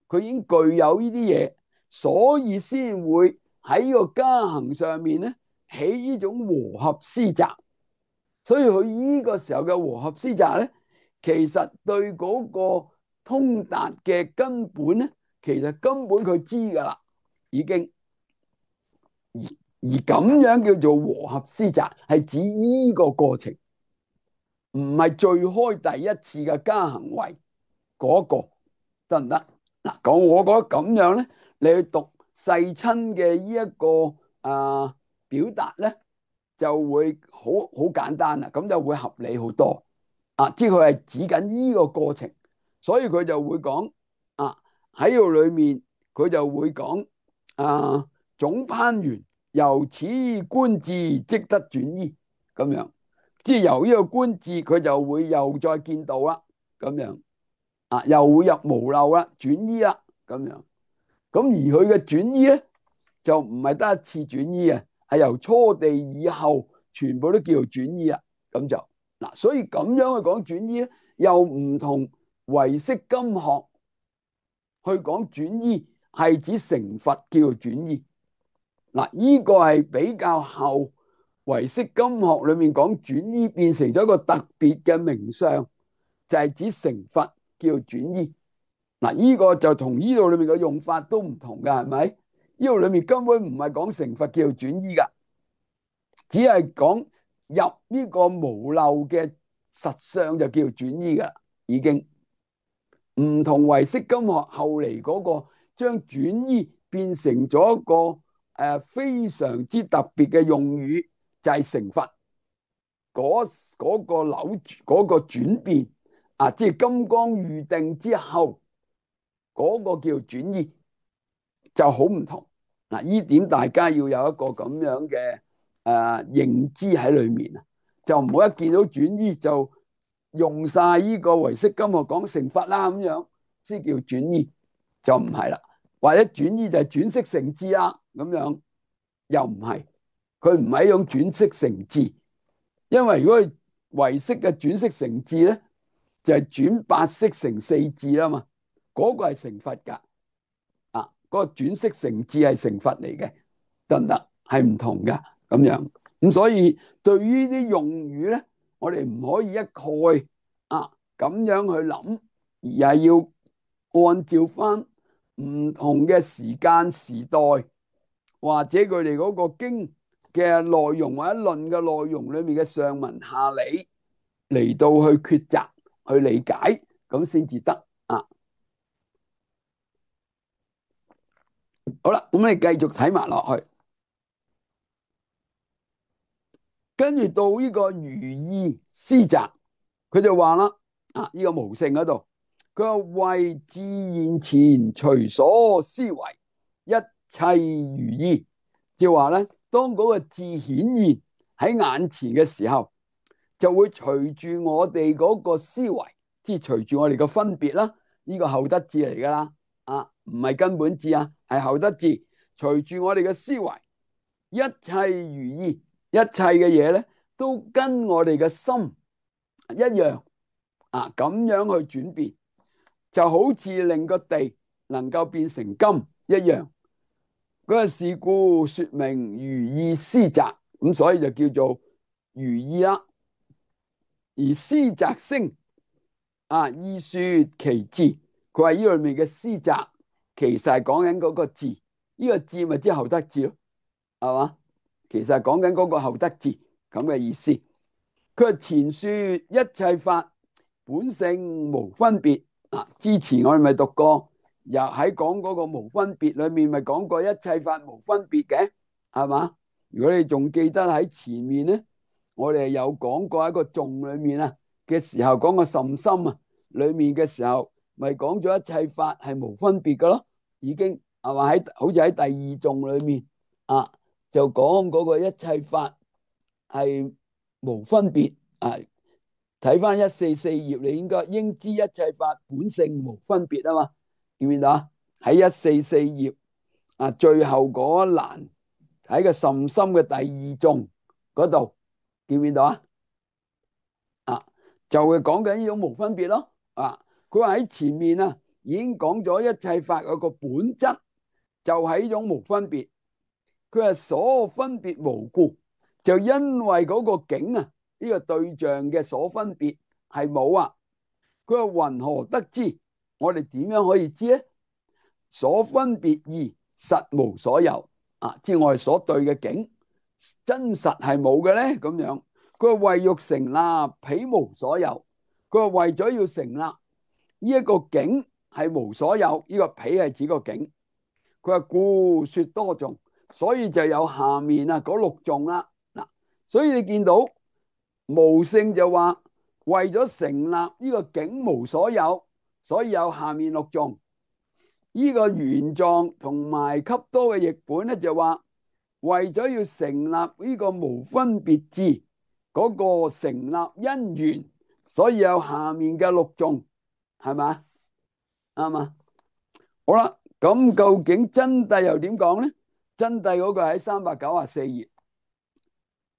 佢已經具有呢啲嘢，所以先會喺呢個加行上面咧起呢種和合施宅。所以佢呢個時候嘅和合施宅咧，其實對嗰個通達嘅根本咧，其實根本佢知噶啦，已經。而咁樣叫做和合施宅，係指呢個過程，唔係最開第一次嘅加行位嗰個，得唔得？嗱，講我覺得咁樣咧，你去讀世親嘅呢一個表達咧，就會好簡單啦，咁就會合理好多啊！即係佢係指緊呢個過程，所以佢就會講啊，喺度裏面佢就會講總攀緣，由此觀智即得轉依咁樣，即係由呢個觀智佢就會又再見到啦，咁樣啊，又會入無漏啦，轉依啦，咁樣。咁而佢嘅轉依咧，就唔係得一次轉依啊，係由初地以後全部都叫做轉依啦。咁就嗱，所以咁樣去講轉依咧，又唔同唯識今學去講轉依係指成佛叫做轉依。嗱，呢個係比較後唯識今學裏面講轉依變成咗一個特別嘅名相，就係指成佛叫做轉依。嗱，呢個就同呢度裏面嘅用法都唔同噶，係咪？呢度裏面根本唔係講成佛叫做轉依噶，只係講入呢個無漏嘅實相就叫做轉依噶，已經唔同唯識今學後嚟嗰個將轉依變成咗一個非常之特別嘅用語，就係成佛嗰個扭嗰個轉變啊，即係金剛喻定之後嗰個叫轉依就好唔同。嗱，呢點大家要有一個咁樣嘅認知喺裏面啊，就唔好一見到轉依就用晒呢個唯識今學講成佛啦，咁樣先叫轉依，就唔係啦。或者轉依就係轉識成智啦，咁樣又唔係，佢唔係一種轉識成智，因為如果係唯識嘅轉識成智咧，就係轉八識成四智啦嘛，嗰個係成佛噶。嗰個轉識成智係成佛嚟嘅，得唔得？係唔同噶咁樣。咁所以對於啲用語咧，我哋唔可以一概咁樣去諗，而係要按照翻唔同嘅時間時代，或者佢哋嗰個經嘅內容或者論嘅內容裏面嘅上文下理嚟到去抉擇去理解，咁先至得啊。好啦，咁你繼續睇埋落去。跟住到呢個如意施宅，佢就話啦，呢個無性嗰度，佢話為智現前隨所思維，一切如意，就話咧，當嗰個智顯現喺眼前嘅時候，就會隨住我哋嗰個思維，即係隨住我哋個分別啦，呢個後得智嚟噶啦，唔係根本智啊，係後得智，隨住我哋嘅思維，一切如意。一切嘅嘢咧，都跟我哋嘅心一樣咁樣去轉變，就好似令個地能夠變成金一樣。嗰個是故說明如意施宅，咁所以就叫做如意啦。而詩擇聲意說其字。佢話呢裏面嘅詩擇其實係講緊嗰個字，呢個字咪即係後得字咯，係嘛？其實係講緊嗰個後得字咁嘅意思。佢話前說一切法本性無分別。之前我哋咪讀過，又喺講嗰個無分別裏面咪講過一切法無分別嘅，係嘛？如果你仲記得喺前面咧，我哋有講過一個頌裏面嘅時候，講個甚深裏面嘅時候，咪講咗一切法係無分別嘅咯，已經係嘛？好似喺第二頌裏面就講嗰個一切法係無分別。睇翻144頁，你應知一切法本性無分別啊嘛，見唔見到啊？喺144頁最後嗰一欄喺個甚深嘅第二頌嗰度，見唔見到就會講緊呢種無分別咯。佢話喺前面已經講咗一切法嗰個本質就係呢種無分別。佢話所分別無故，就因為嗰個境呢個對象嘅所分別係冇佢話云何得知？我哋點樣可以知咧？所分別義實無所有即係我哋所對嘅境真實係冇嘅咧。咁樣佢話為欲成立彼無所有。佢話為咗要成立呢一個境係無所有，呢個彼係指個境。佢話故說多頌，所以就有下面嗰6頌啦。所以你見到無性就話為咗成立呢個境無所有，所以有下面6頌。呢個玄奘同埋笈多嘅譯本咧就話為咗要成立呢個無分別智嗰個成立因緣，所以有下面嘅6頌，係咪？啱嘛？好啦，咁究竟真諦又點講咧？真諦嗰個喺394頁，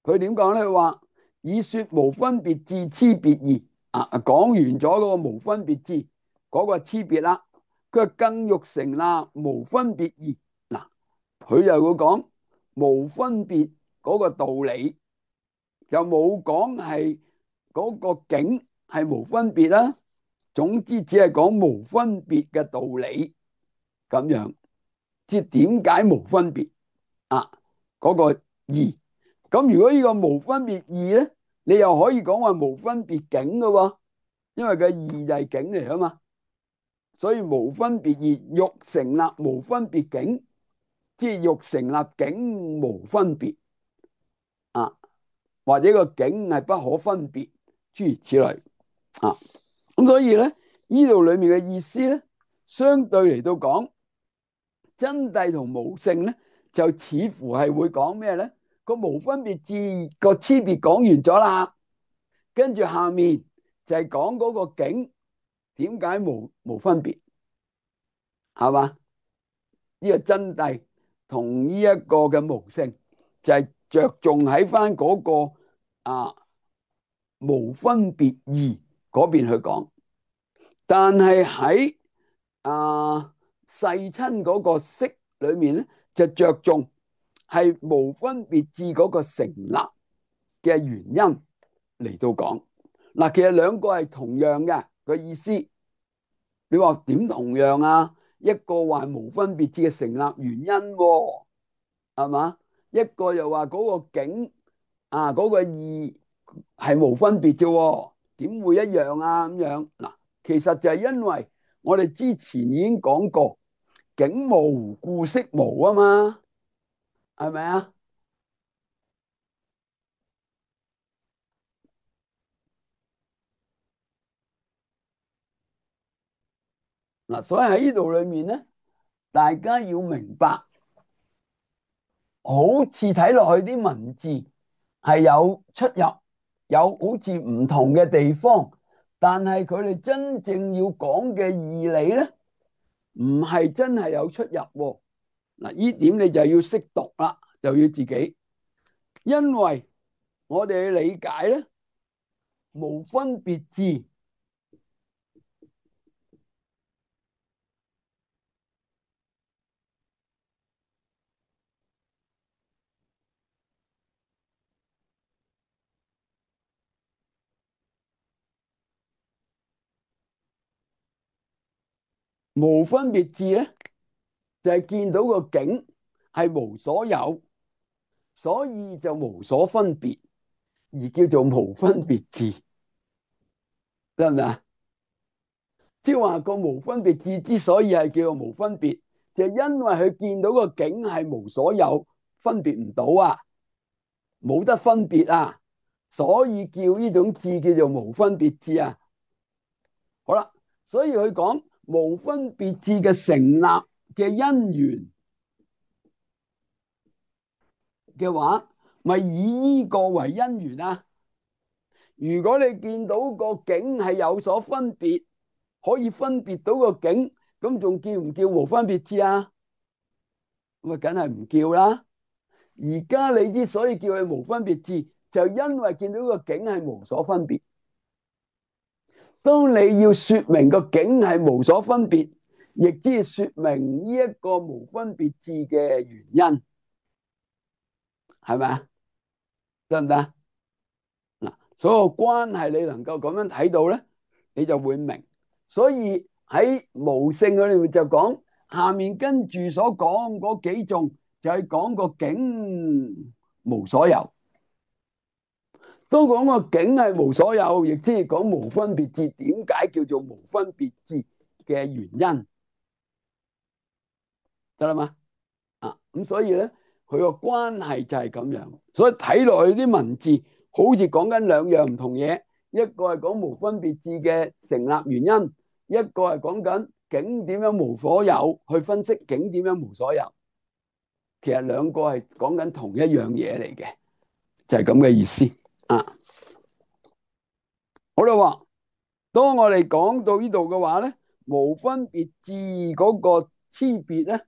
佢點講咧？佢話以說無分別智差別義講完咗嗰個無分別智嗰個差別啦。佢話更欲成立無分別義。佢又會講無分別嗰個道理，就冇講係嗰個境係無分別啦。總之只係講無分別嘅道理咁樣，即係點解無分別嗰個義。咁如果呢個無分別義咧，你又可以講話無分別境嘅喎，因為個義就係境嚟啊嘛。所以無分別義欲成立無分別境，即係欲成立境無分別或者個境係不可分別，諸如此類咁所以咧，呢度裏面嘅意思咧，相對嚟到講真諦同無性咧，就似乎係會講咩咧？個無分別智個差別講完咗啦，跟住下面就係講嗰個境點解無分別，係嘛？呢個真諦同呢一個嘅無性就係着重喺翻嗰個無分別義嗰邊去講，但係喺世親嗰個釋裏面咧，就着重係無分別智嗰個成立嘅原因嚟到講。其實兩個係同樣嘅個意思。你話點同樣一個話無分別智嘅成立原因係嘛？一個又話嗰個境嗰個義係無分別啫，點會一樣咁樣？其實就係因為我哋之前已經講過，境無故識無啊嘛，係咪啊？所以喺呢度裏面咧，大家要明白，好似睇落去啲文字係有出入，有好似唔同嘅地方，但係佢哋真正要講嘅義理咧，唔係真係有出入。呢點你就要識讀啦，就要自己，因為我哋嘅理解咧，無分別智無分別智咧，就係見到個境係無所有，所以就無所分別，而叫做無分別智，得唔得啊？即係話個無分別智之所以係叫做無分別，就係因為佢見到個境係無所有，分別唔到啊，冇得分別啊，所以叫呢種智叫做無分別智啊。好啦，所以佢講無分別智嘅成立嘅因緣嘅話，咪以呢個為因緣啊。如果你見到個境係有所分別，可以分別到個境，咁仲叫唔叫無分別智啊？咁啊，梗係唔叫啦。而家你之所以叫佢無分別智，就因為見到個境係無所分別。當你要說明個境係無所分別，亦即係說明呢一個無分別智嘅原因，係咪啊？得唔得？嗱，所有關係你能夠咁樣睇到咧，你就會明。所以喺無性嗰裏面就講，下面跟住所講嗰幾種就係講個境無所有。都講個境係無所有，亦即係講無分別智。點解叫做無分別智嘅原因？得啦嘛？咁所以咧，佢個關係就係咁樣。所以睇落去啲文字好似講緊兩樣唔同嘢，一個係講無分別智嘅成立原因，一個係講緊境點樣無所有，去分析境點樣無所有。其實兩個係講緊同一樣嘢嚟嘅，就係咁嘅意思啊。好啦，當我哋講到呢度嘅話咧，無分別智嗰個差別咧，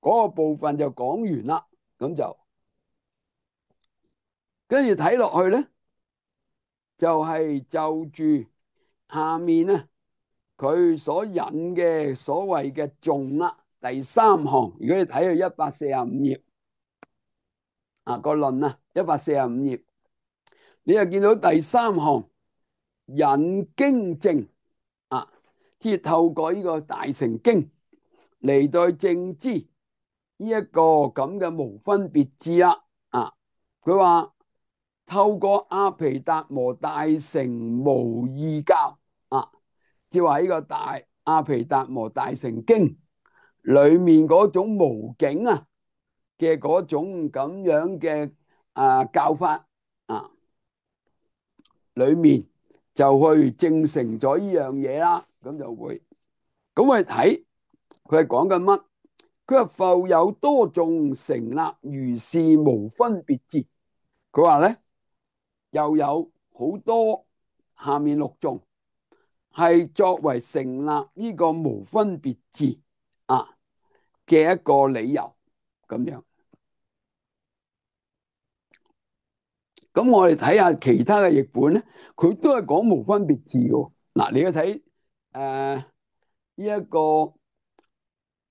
嗰個部分就講完啦。咁就跟住睇落去咧，就係就住下面咧佢所引嘅所謂嘅頌啦，第三行。如果你睇到145頁個論啊，145頁，你就見到第三行引經證啊，即係透過呢個大乘經嚟到證知呢一個咁嘅無分別智啦。佢話透過阿毗達摩大乘無異教即係話呢個大阿毗達摩大乘經裏面嗰種無境嘅嗰種咁樣嘅教法裏面就去證成咗呢樣嘢啦。咁就會咁我哋睇佢係講緊乜？佢話復有多種成立如是無分別智。佢話咧又有好多下面6種係作為成立呢個無分別智嘅一個理由咁樣。咁我哋睇下其他嘅譯本咧，佢都係講無分別智嘅。嗱，你要睇呢一個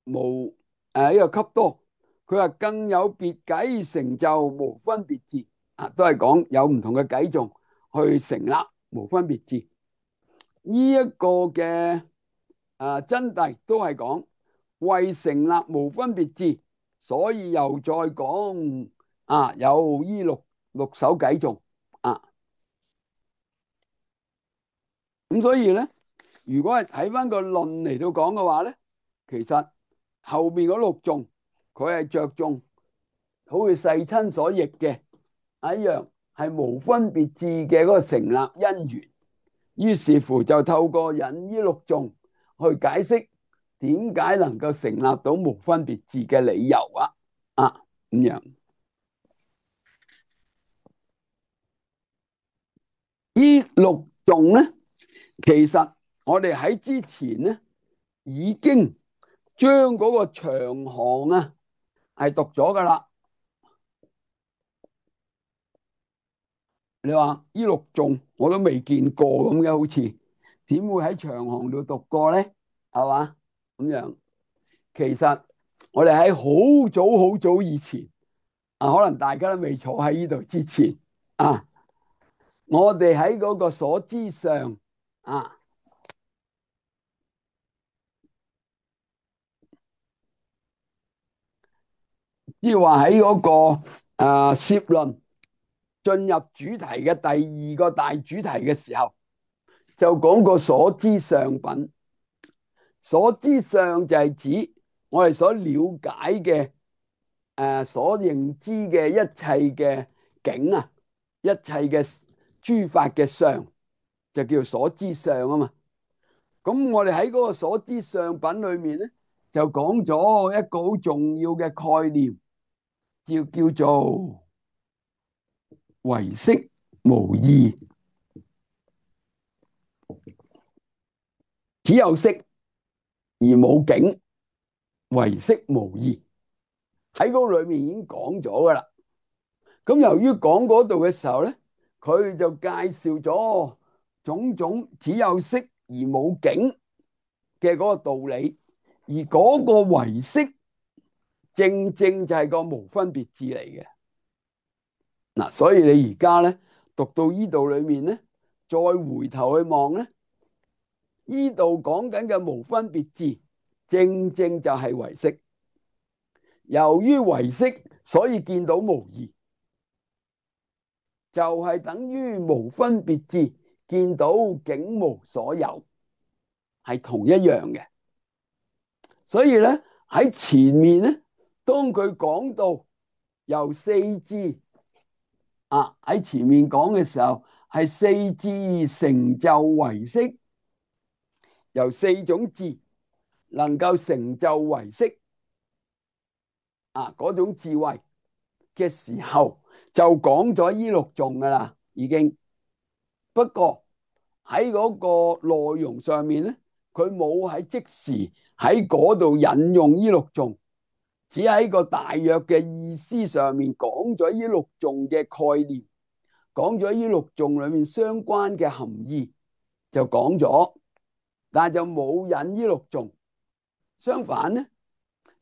無呢個笈多，佢話更有別偈成就無分別智都係講有唔同嘅偈頌去成立無分別智。呢一個嘅真諦都係講為成立無分別智，所以又再講有呢六首偈頌咁所以咧，如果係睇翻個論嚟到講嘅話咧，其實後面嗰6頌佢係着重，好似世親所譯嘅一樣，係無分別智嘅嗰個成立因緣。於是乎就透過引呢6頌去解釋點解能夠成立到無分別智嘅理由咁樣。呢6頌咧，其實我哋喺之前咧已經將嗰個長行係讀咗噶啦。你話呢6頌我都未見過咁嘅，好似點會喺長行度讀過咧？係嘛咁樣？其實我哋喺好早以前可能大家都未坐喺呢度之前我哋喺嗰個所知上即係話喺嗰個攝論進入主題嘅第二個大主題嘅時候，就講個所知相品。所知相就係指我哋所了解嘅所認知嘅一切嘅境啊，一切嘅諸法嘅相，就叫所知相啊嘛。咁我哋喺嗰個所知相品裏面咧，就講咗一個好重要嘅概念，叫做唯識無異，只有識而冇境，唯識無異。喺嗰個裏面已經講咗噶啦。咁由於講嗰度嘅時候咧，佢就介紹咗種種只有識而冇境嘅嗰個道理，而嗰個唯識正正就係個無分別智嚟嘅。嗱，所以你而家咧讀到呢度裏面咧，再回頭去望咧，呢度講緊嘅無分別智，正正就係唯識。由於唯識，所以見到無異，就係等於無分別智見到境無所有，係同一樣嘅。所以咧喺前面咧，當佢講到由四智喺前面講嘅時候，係四智成就唯識，由四種智能夠成就唯識嗰種智慧嘅時候，就講咗呢六種噶啦，已經。不過喺嗰個內容上面咧，佢冇喺即時喺嗰度引用呢六種，只喺個大約嘅意思上面講咗呢六種嘅概念，講咗呢六種裏面相關嘅含義，就講咗，但係就冇引呢六種。相反咧，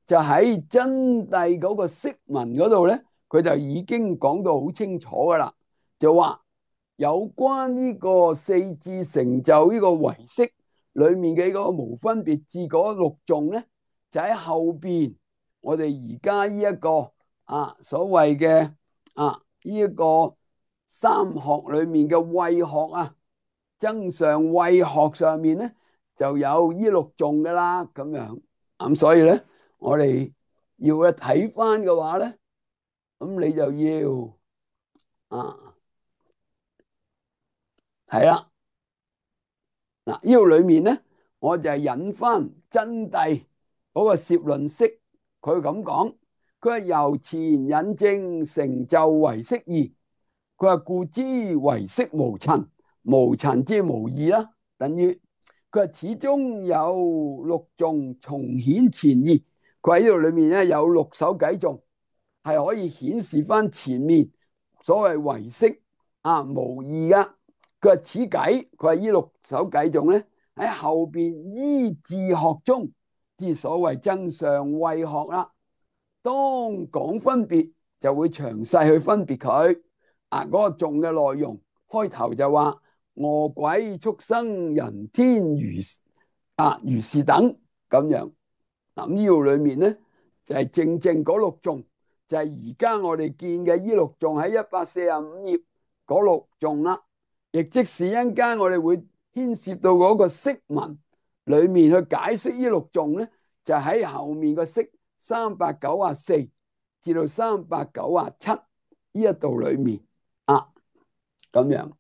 就喺真諦嗰個釋文嗰度咧，佢就已經講到好清楚噶啦，就話有關呢個四智成就呢個唯識裏面嘅嗰個無分別智嗰六種咧，就喺後邊我哋而家呢一個所謂嘅呢一個三學裏面嘅慧學增上慧學上面咧，就有呢六種噶啦，咁樣。咁所以咧，我哋要去睇翻嘅話咧，咁你就要係啦。嗱，呢度裏面咧，我就係引翻真諦嗰個攝論式，佢咁講，佢係由前引證成就唯識義，佢話故知唯識無陳，無陳即係無異啦，等於佢話始終有六種重顯前義，佢喺呢度裏面咧有六首偈頌係可以顯示翻前面所謂唯識無異噶。佢話此偈，佢話呢六首偈頌咧喺後邊依智學中之所謂增上慧學啦。當講分別就會詳細去分別佢嗰個頌嘅內容。開頭就話餓鬼畜生人天如是等咁樣。咁呢度裏面咧就係正正嗰六頌，就係而家我哋見嘅呢六頌喺145頁嗰六頌啦。亦即是一陣間我哋會牽涉到嗰個釋文裏面去解釋呢六頌咧，就喺後面個釋394至到397呢一度裏面咁樣。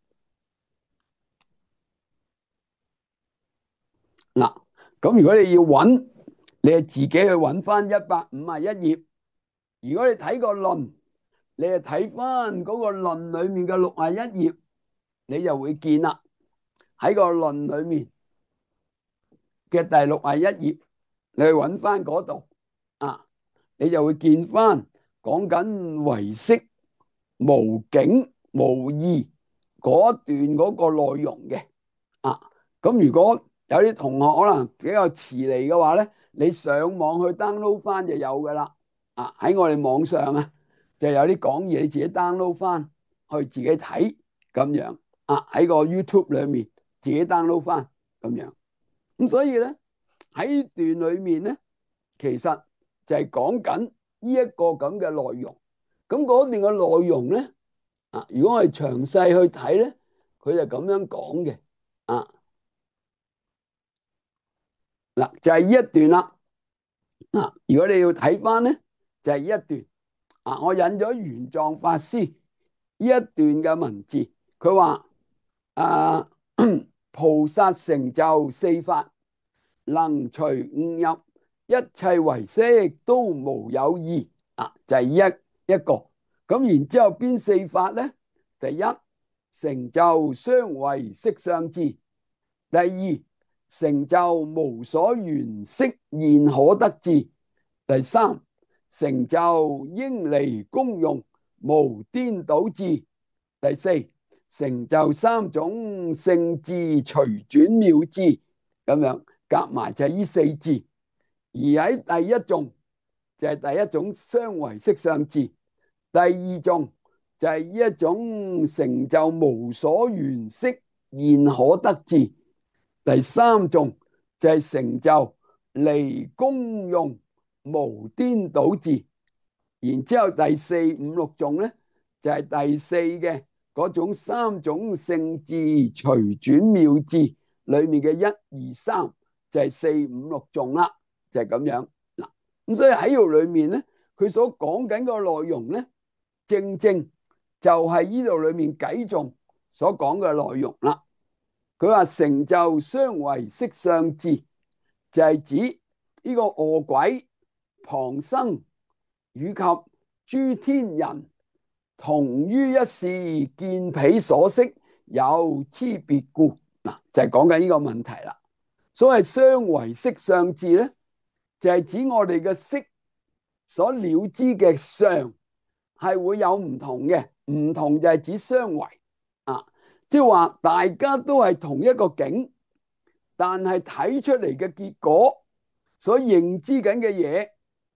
嗱，咁如果你要揾，你係自己去揾翻151頁。如果你睇個論，你係睇翻嗰個論裏面嘅61頁，你就會見啦。喺個論裏面嘅第61頁，你去揾翻嗰度你就會見翻講緊唯識無境無異嗰段嗰個內容嘅咁如果有啲同學可能比較遲嚟嘅話咧，你上網去 download 翻就有噶啦喺我哋網上就有啲講義，你自己 download 翻去自己睇咁樣喺個 YouTube 裏面自己 download 翻咁樣。咁所以咧喺段裏面咧，其實就係講緊呢一個咁嘅內容。咁嗰段嘅內容咧，如果我哋詳細去睇咧，佢就咁樣講嘅。嗱，就係呢一段啦。如果你要睇翻咧，就係呢一段。我引咗玄奘法師呢一段嘅文字，佢話菩薩成就四法，能隨悟入，一切唯識都無有異。就係一個。咁然之後邊四法咧？第一，成就雙唯識相智；第二，成就無所緣識現可得智；第三，成就應離功用無顛倒智；第四，成就三種聖智隨轉妙智。咁樣夾埋就係呢四智。而喺第一種就係第一種雙唯識相智，第二種就係呢一種成就無所緣識現可得智，第三種就係成就離功用無顛倒智。然之後第四五六種咧，就係第四嘅嗰種三種聖智隨轉妙智裏面嘅一二三，就係四五六種啦，就係咁樣。嗱，咁所以喺度裏面咧，佢所講緊個內容咧，正正就係呢度裏面偈頌所講嘅內容啦。佢話成就雙唯識相智，就係指呢個餓鬼、旁生以及諸天人同於一事，見彼所識有差別故。嗱，就係講緊呢個問題啦。所謂雙唯識相智咧，就係指我哋嘅識所了知嘅相係會有唔同嘅，唔同就係指雙唯。即係話大家都係同一個境，但係睇出嚟嘅結果，所認知緊嘅嘢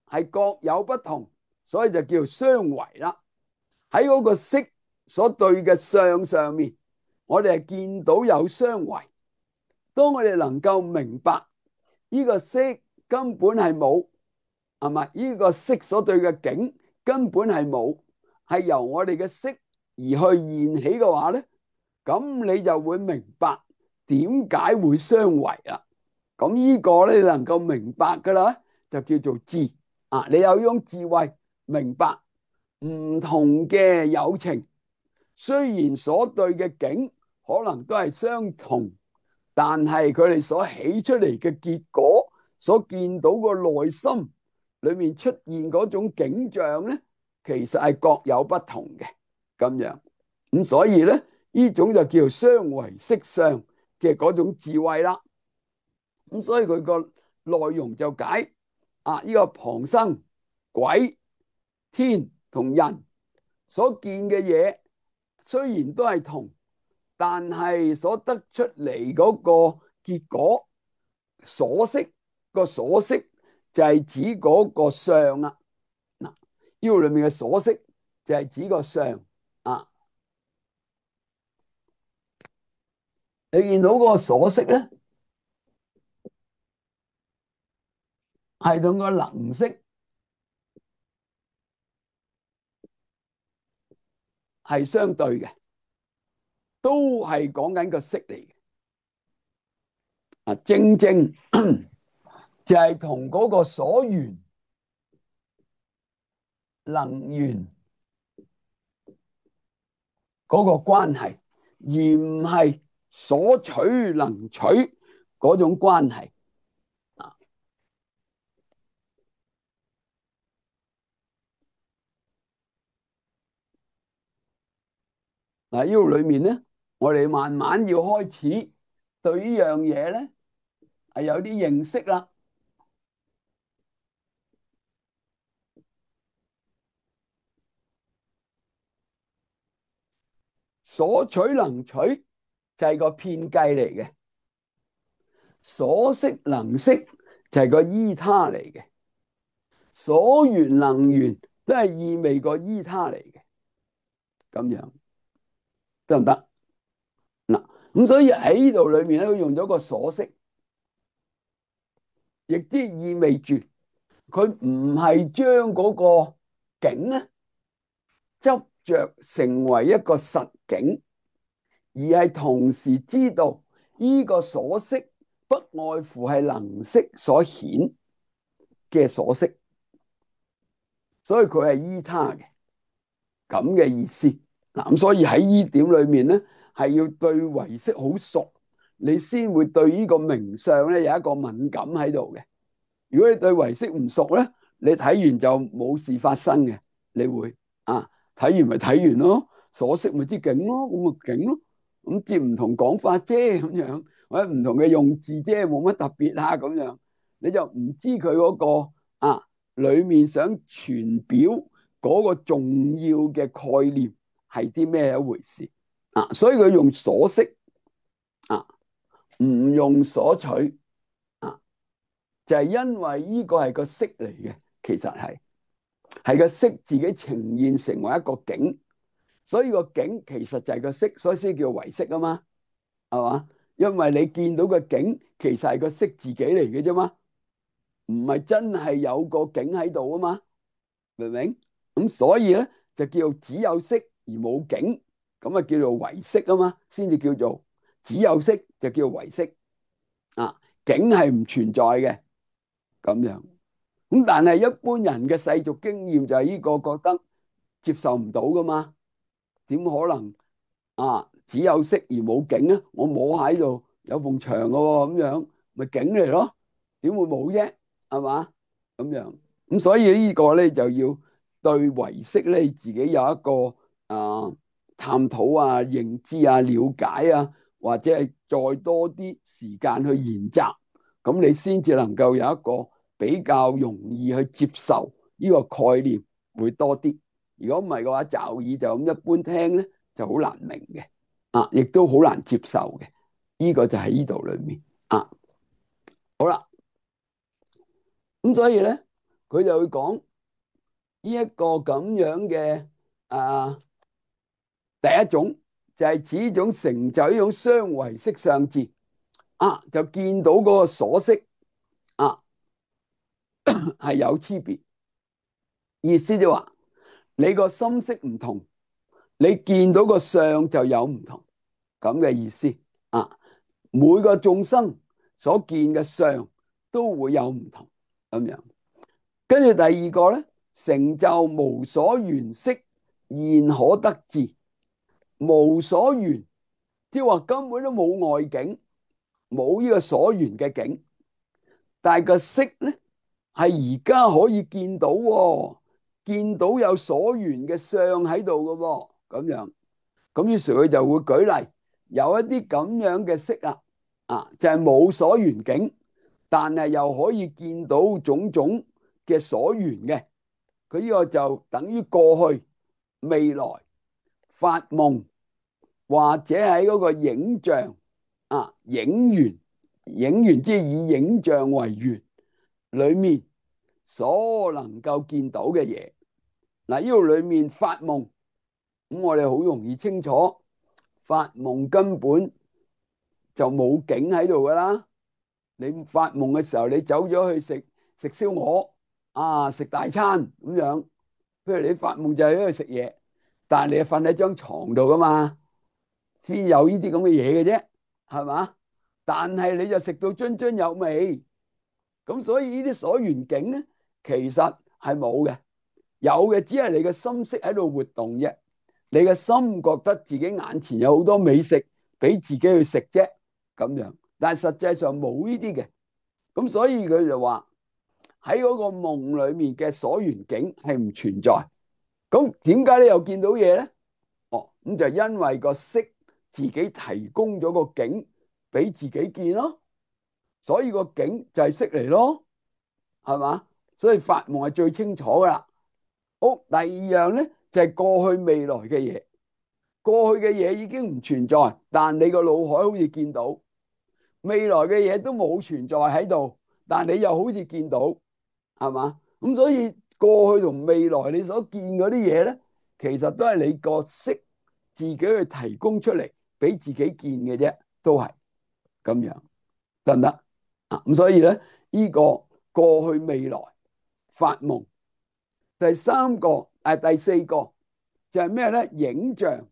係各有不同，所以就叫雙唯啦。喺嗰個色所對嘅相上面，我哋係見到有雙唯。當我哋能夠明白呢個色根本係冇，係咪？呢個色所對嘅境根本係冇，係由我哋嘅色而去現起嘅話咧，咁你就會明白點解會雙唯啦。咁呢個咧，你能夠明白噶啦，就叫做智。你有呢種智慧，明白唔同嘅有情，雖然所對嘅境可能都係相同，但係佢哋所起出嚟嘅結果，所見到個內心裏面出現嗰種景象咧，其實係各有不同嘅咁樣。咁所以咧，呢種就叫雙唯識相嘅嗰種智慧啦。咁所以佢個內容就解呢個旁生、鬼、天同人所見嘅嘢，雖然都係同，但係所得出嚟嗰個結果所識，個所識就係指嗰個相啊。嗱，呢個裏面嘅所識就係指個相啊。你見到嗰個所識咧，係同個能識係相對嘅，都係講緊個識嚟嘅。正正就係同嗰個所緣能緣嗰個關係，而唔係所取能取嗰種關係。嗱，呢度裏面咧，我哋慢慢要開始對呢樣嘢咧係有啲認識啦。所取能取就係個遍計嚟嘅，所識能識就係個依他嚟嘅，所緣能緣都係意味個依他嚟嘅，咁樣得唔得？嗱，咁所以喺呢度裏面咧，佢用咗個所識，亦即意味住佢唔係將嗰個境咧執着成為一個實境，而係同時知道呢個所識不外乎係能識所顯嘅所識，所以佢係依他嘅咁嘅意思。嗱，咁所以喺呢點裏面咧，係要對唯識好熟，你先會對呢個名相咧有一個敏感喺度嘅。如果你對唯識唔熟咧，你睇完就冇事發生嘅，你會睇完咪睇完咯，所識咪知境咯，咁咪境咯，咁接唔同講法啫咁樣，或者唔同嘅用字啫，冇乜特別啊咁樣，你就唔知佢嗰個裏面想傳表嗰個重要嘅概念係啲咩一回事所以佢用所識唔用所取就係因為呢個係個識嚟嘅，其實係個識自己呈現成為一個境，所以個境其實就係個識，所以先叫唯識啊嘛，係嘛？因為你見到個境其實係個識自己嚟嘅啫嘛，唔係真係有個境喺度啊嘛，明唔明？咁所以咧就叫做只有識而冇境，咁啊叫做唯識啊嘛，先至叫做只有識就叫唯識境係唔存在嘅咁樣。咁但係一般人嘅世俗經驗就係呢個覺得接受唔到噶嘛？點可能只有識而冇境啊？我摸喺度有埲牆噶喎，咁樣咪境嚟咯？點會冇啫？係嘛？咁樣咁所以呢個咧就要對唯識咧自己有一個探討認知了解或者係再多啲時間去研習，咁你先至能夠有一個比較容易去接受呢個概念會多啲。如果唔係嘅話，驟耳就咁一般聽咧，就好難明嘅亦都好難接受嘅。呢個就喺呢度裏面好啦，咁所以咧，佢就會講呢一個咁樣嘅第一種就係指呢種成就呢種雙唯識相智就見到嗰個所識係有區別，意思就話你個心識唔同，你見到個相就有唔同咁嘅意思每個眾生所見嘅相都會有唔同咁樣。跟住第二個咧，成就無所緣識現可得智，無所緣即係話根本都冇外境，冇呢個所緣嘅境，但係個識咧係而家可以見到見到有所緣嘅相喺度嘅咁樣。咁於是佢就會舉例，有一啲咁樣嘅識就係冇所緣境，但係又可以見到種種嘅所緣嘅。佢呢個就等於過去、未來、發夢或者喺嗰個影像影緣，影緣即係以影像為緣裏面所能夠見到嘅嘢。嗱，呢度裏面發夢，咁我哋好容易清楚，發夢根本就冇境喺度噶啦。你發夢嘅時候，你走咗去食燒鵝食大餐咁樣，譬如你發夢就係喺度食嘢，但係你係瞓喺張床度噶嘛，先有呢啲咁嘅嘢嘅啫，係嘛？但係你就食到津津有味，咁所以呢啲所緣境咧，其實係冇嘅，有嘅只係你嘅心識喺度活動啫。你嘅心覺得自己眼前有好多美食俾自己去食啫，咁樣，但係實際上冇呢啲嘅。咁所以佢就話喺嗰個夢裏面嘅所緣境係唔存在。咁點解你又見到嘢咧？咁就因為個識自己提供咗個境俾自己見咯，所以個境就係識嚟咯，係嘛？所以發夢係最清楚噶啦。好，第二樣咧就係過去未來嘅嘢。過去嘅嘢已經唔存在，但你個腦海好似見到；未來嘅嘢都冇存在喺度，但你又好似見到，係嘛？咁所以過去同未來你所見嗰啲嘢咧，其實都係你個識自己去提供出嚟俾自己見嘅啫，都係咁樣，得唔得？咁所以咧，呢個過去未來發夢。第四個就係咩咧？影像。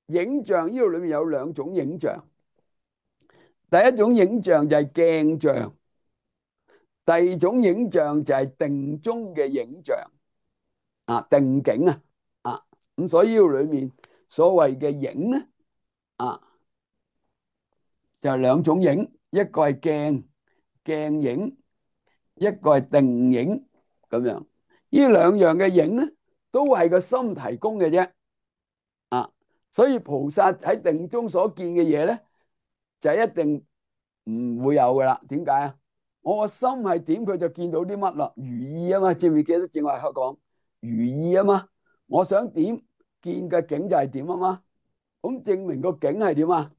影像呢度裏面有兩種影像。第一種影像就係鏡像，第二種影像就係定中嘅影像。定景咁所以呢度裏面所謂嘅影咧就係兩種影，一個係鏡影，一個係定影咁樣。呢兩樣嘅影咧都係個心提供嘅啫。所以菩薩喺定中所見嘅嘢咧就一定唔會有噶啦。點解啊？我個心係點，佢就見到啲乜啦？如意啊嘛，記唔記得正話講如意啊嘛？我想點見嘅景就係點啊嘛。咁證明個景係點啊？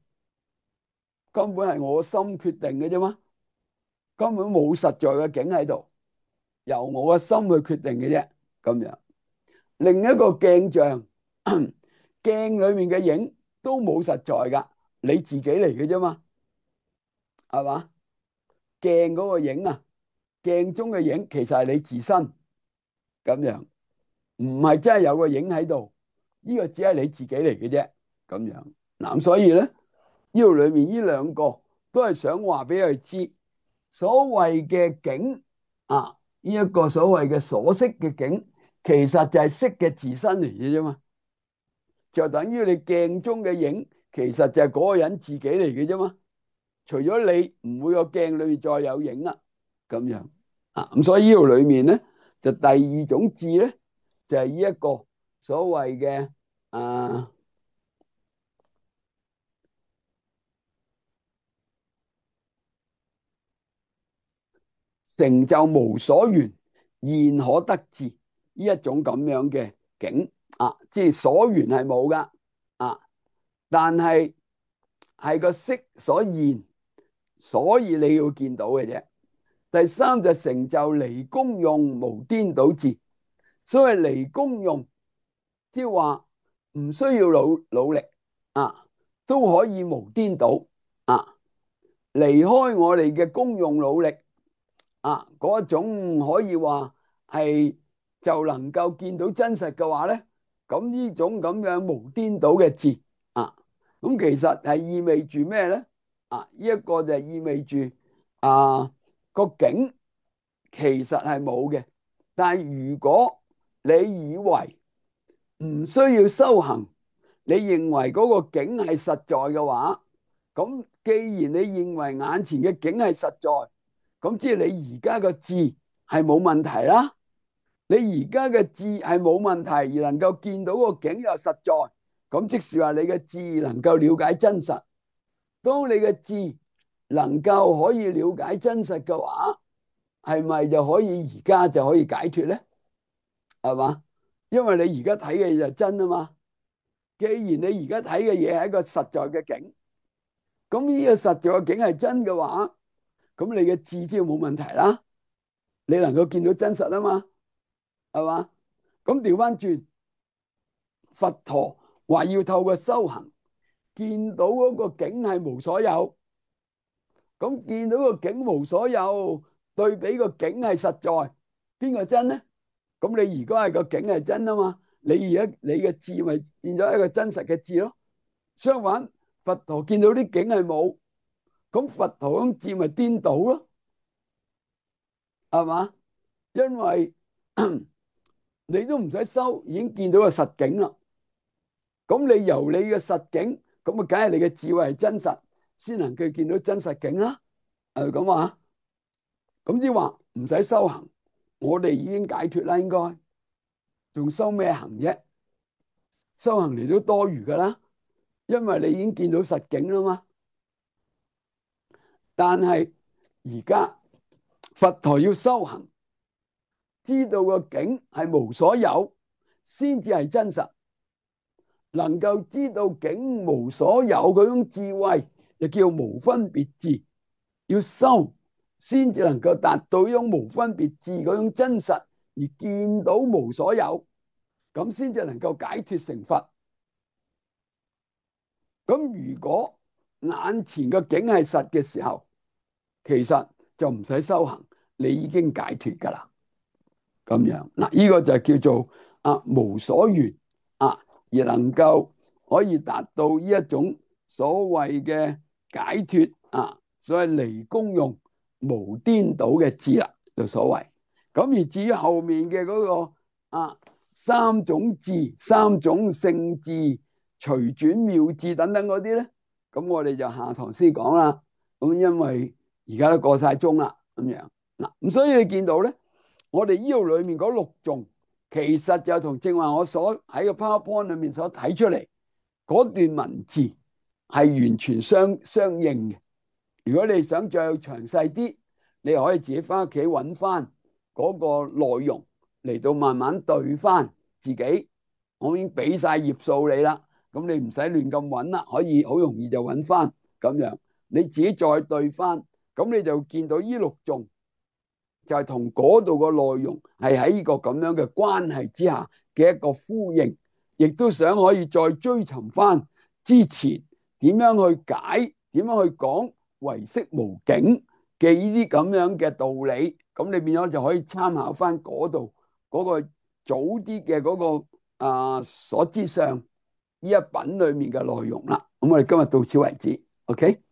根本係我心決定嘅啫嘛，根本冇實在嘅景喺度，由我個心去決定嘅啫。咁樣另一個鏡像，鏡裏面嘅影都冇實在噶，你自己嚟嘅啫嘛，係嘛？鏡嗰個影鏡中嘅影其實係你自身咁樣，唔係真係有個影喺度，呢個只係你自己嚟嘅啫。咁樣嗱，所以咧呢度裏面呢兩個都係想話俾佢知，所謂嘅景呢一個所謂嘅所識嘅景，其實就係識嘅自身嚟嘅啫嘛，就等於你鏡中嘅影，其實就係嗰個人自己嚟嘅啫嘛。除咗你，唔會個鏡裏面再有影啦。咁樣咁所以呢度裏面咧，就第二種智咧，就係呢一個所謂嘅成就無所緣，現可得智呢一種咁樣嘅境即係所緣係冇噶但係係個色所現，所以你要見到嘅啫。第三就成就離功用無顛倒智。所謂離功用，即係話唔需要努力都可以無顛倒離開我哋嘅功用努力嗰種可以話係就能夠見到真實嘅話咧，咁呢種咁樣無顛倒嘅智咁其實係意味住咩咧？呢一個就意味住個境其實係冇嘅，但係如果你以為唔需要修行，你認為嗰個境係實在嘅話，咁既然你認為眼前嘅境係實在，咁即係你而家嘅智係冇問題啦。你而家嘅智係冇問題，而能夠見到個境又實在，咁即是話你嘅智能夠了解真實。當你嘅智能夠可以了解真實嘅話，係咪就可以而家就可以解脫咧？係嘛？因為你而家睇嘅嘢就真啊嘛。既然你而家睇嘅嘢係一個實在嘅境，咁呢個實在嘅境係真嘅話，咁你嘅智就冇問題啦。你能夠見到真實啊嘛，係嘛？咁調翻轉，佛陀話要透過修行見到嗰個境係無所有，咁見到個境無所有，對比個境係實在，邊個真咧？咁你而家係個境係真啊嘛，你而家你嘅智咪變咗一個真實嘅智咯。相反，佛陀見到啲境係冇，咁佛陀咁智咪顛倒咯，係嘛？因為你都唔使修，已經見到個實境啦。咁你由你嘅實境，咁啊，梗係你嘅智慧係真實，先能夠見到真實境啦。係咁話，咁即係話唔使修行，我哋已經解脫啦。應該仲修咩行啫？修行嚟都多餘噶啦，因為你已經見到實境啦嘛。但係而家佛陀要修行，知道個境係無所有，先至係真實。能夠知道境無所有嗰種智慧，就叫無分別智。要修先至能夠達到呢種無分別智嗰種真實，而見到無所有，咁先至能夠解脫成佛。咁如果眼前個境係實嘅時候，其實就唔使修行，你已經解脫噶啦。咁樣嗱，呢個就叫做無所緣而能夠可以達到呢一種所謂嘅解脫所謂離功用無顛倒嘅智啦，就所謂。咁而至於後面嘅嗰個三種智、三種聖智、隨轉妙智等等嗰啲咧，咁我哋就下堂先講啦。咁因為而家都過晒鐘啦，咁樣嗱，咁所以你見到咧，我哋呢度裏面嗰六頌，其實就同正話我所喺個 PowerPoint 裏面所睇出嚟嗰段文字係完全相應嘅。如果你想再詳細啲，你可以自己翻屋企揾翻嗰個內容嚟到慢慢對翻自己。我已經俾晒頁數你啦，咁你唔使亂咁揾啦，可以好容易就揾翻咁樣。你自己再對翻，咁你就見到呢六頌就係同嗰度個內容係喺呢個咁樣嘅關係之下嘅一個呼應，亦都想可以再追尋翻之前點樣去解、點樣去講唯識無境嘅呢啲咁樣嘅道理，咁你變咗就可以參考翻嗰度嗰個早啲嘅嗰個所知上呢一品裏面嘅內容啦。咁我哋今日到此為止，OK。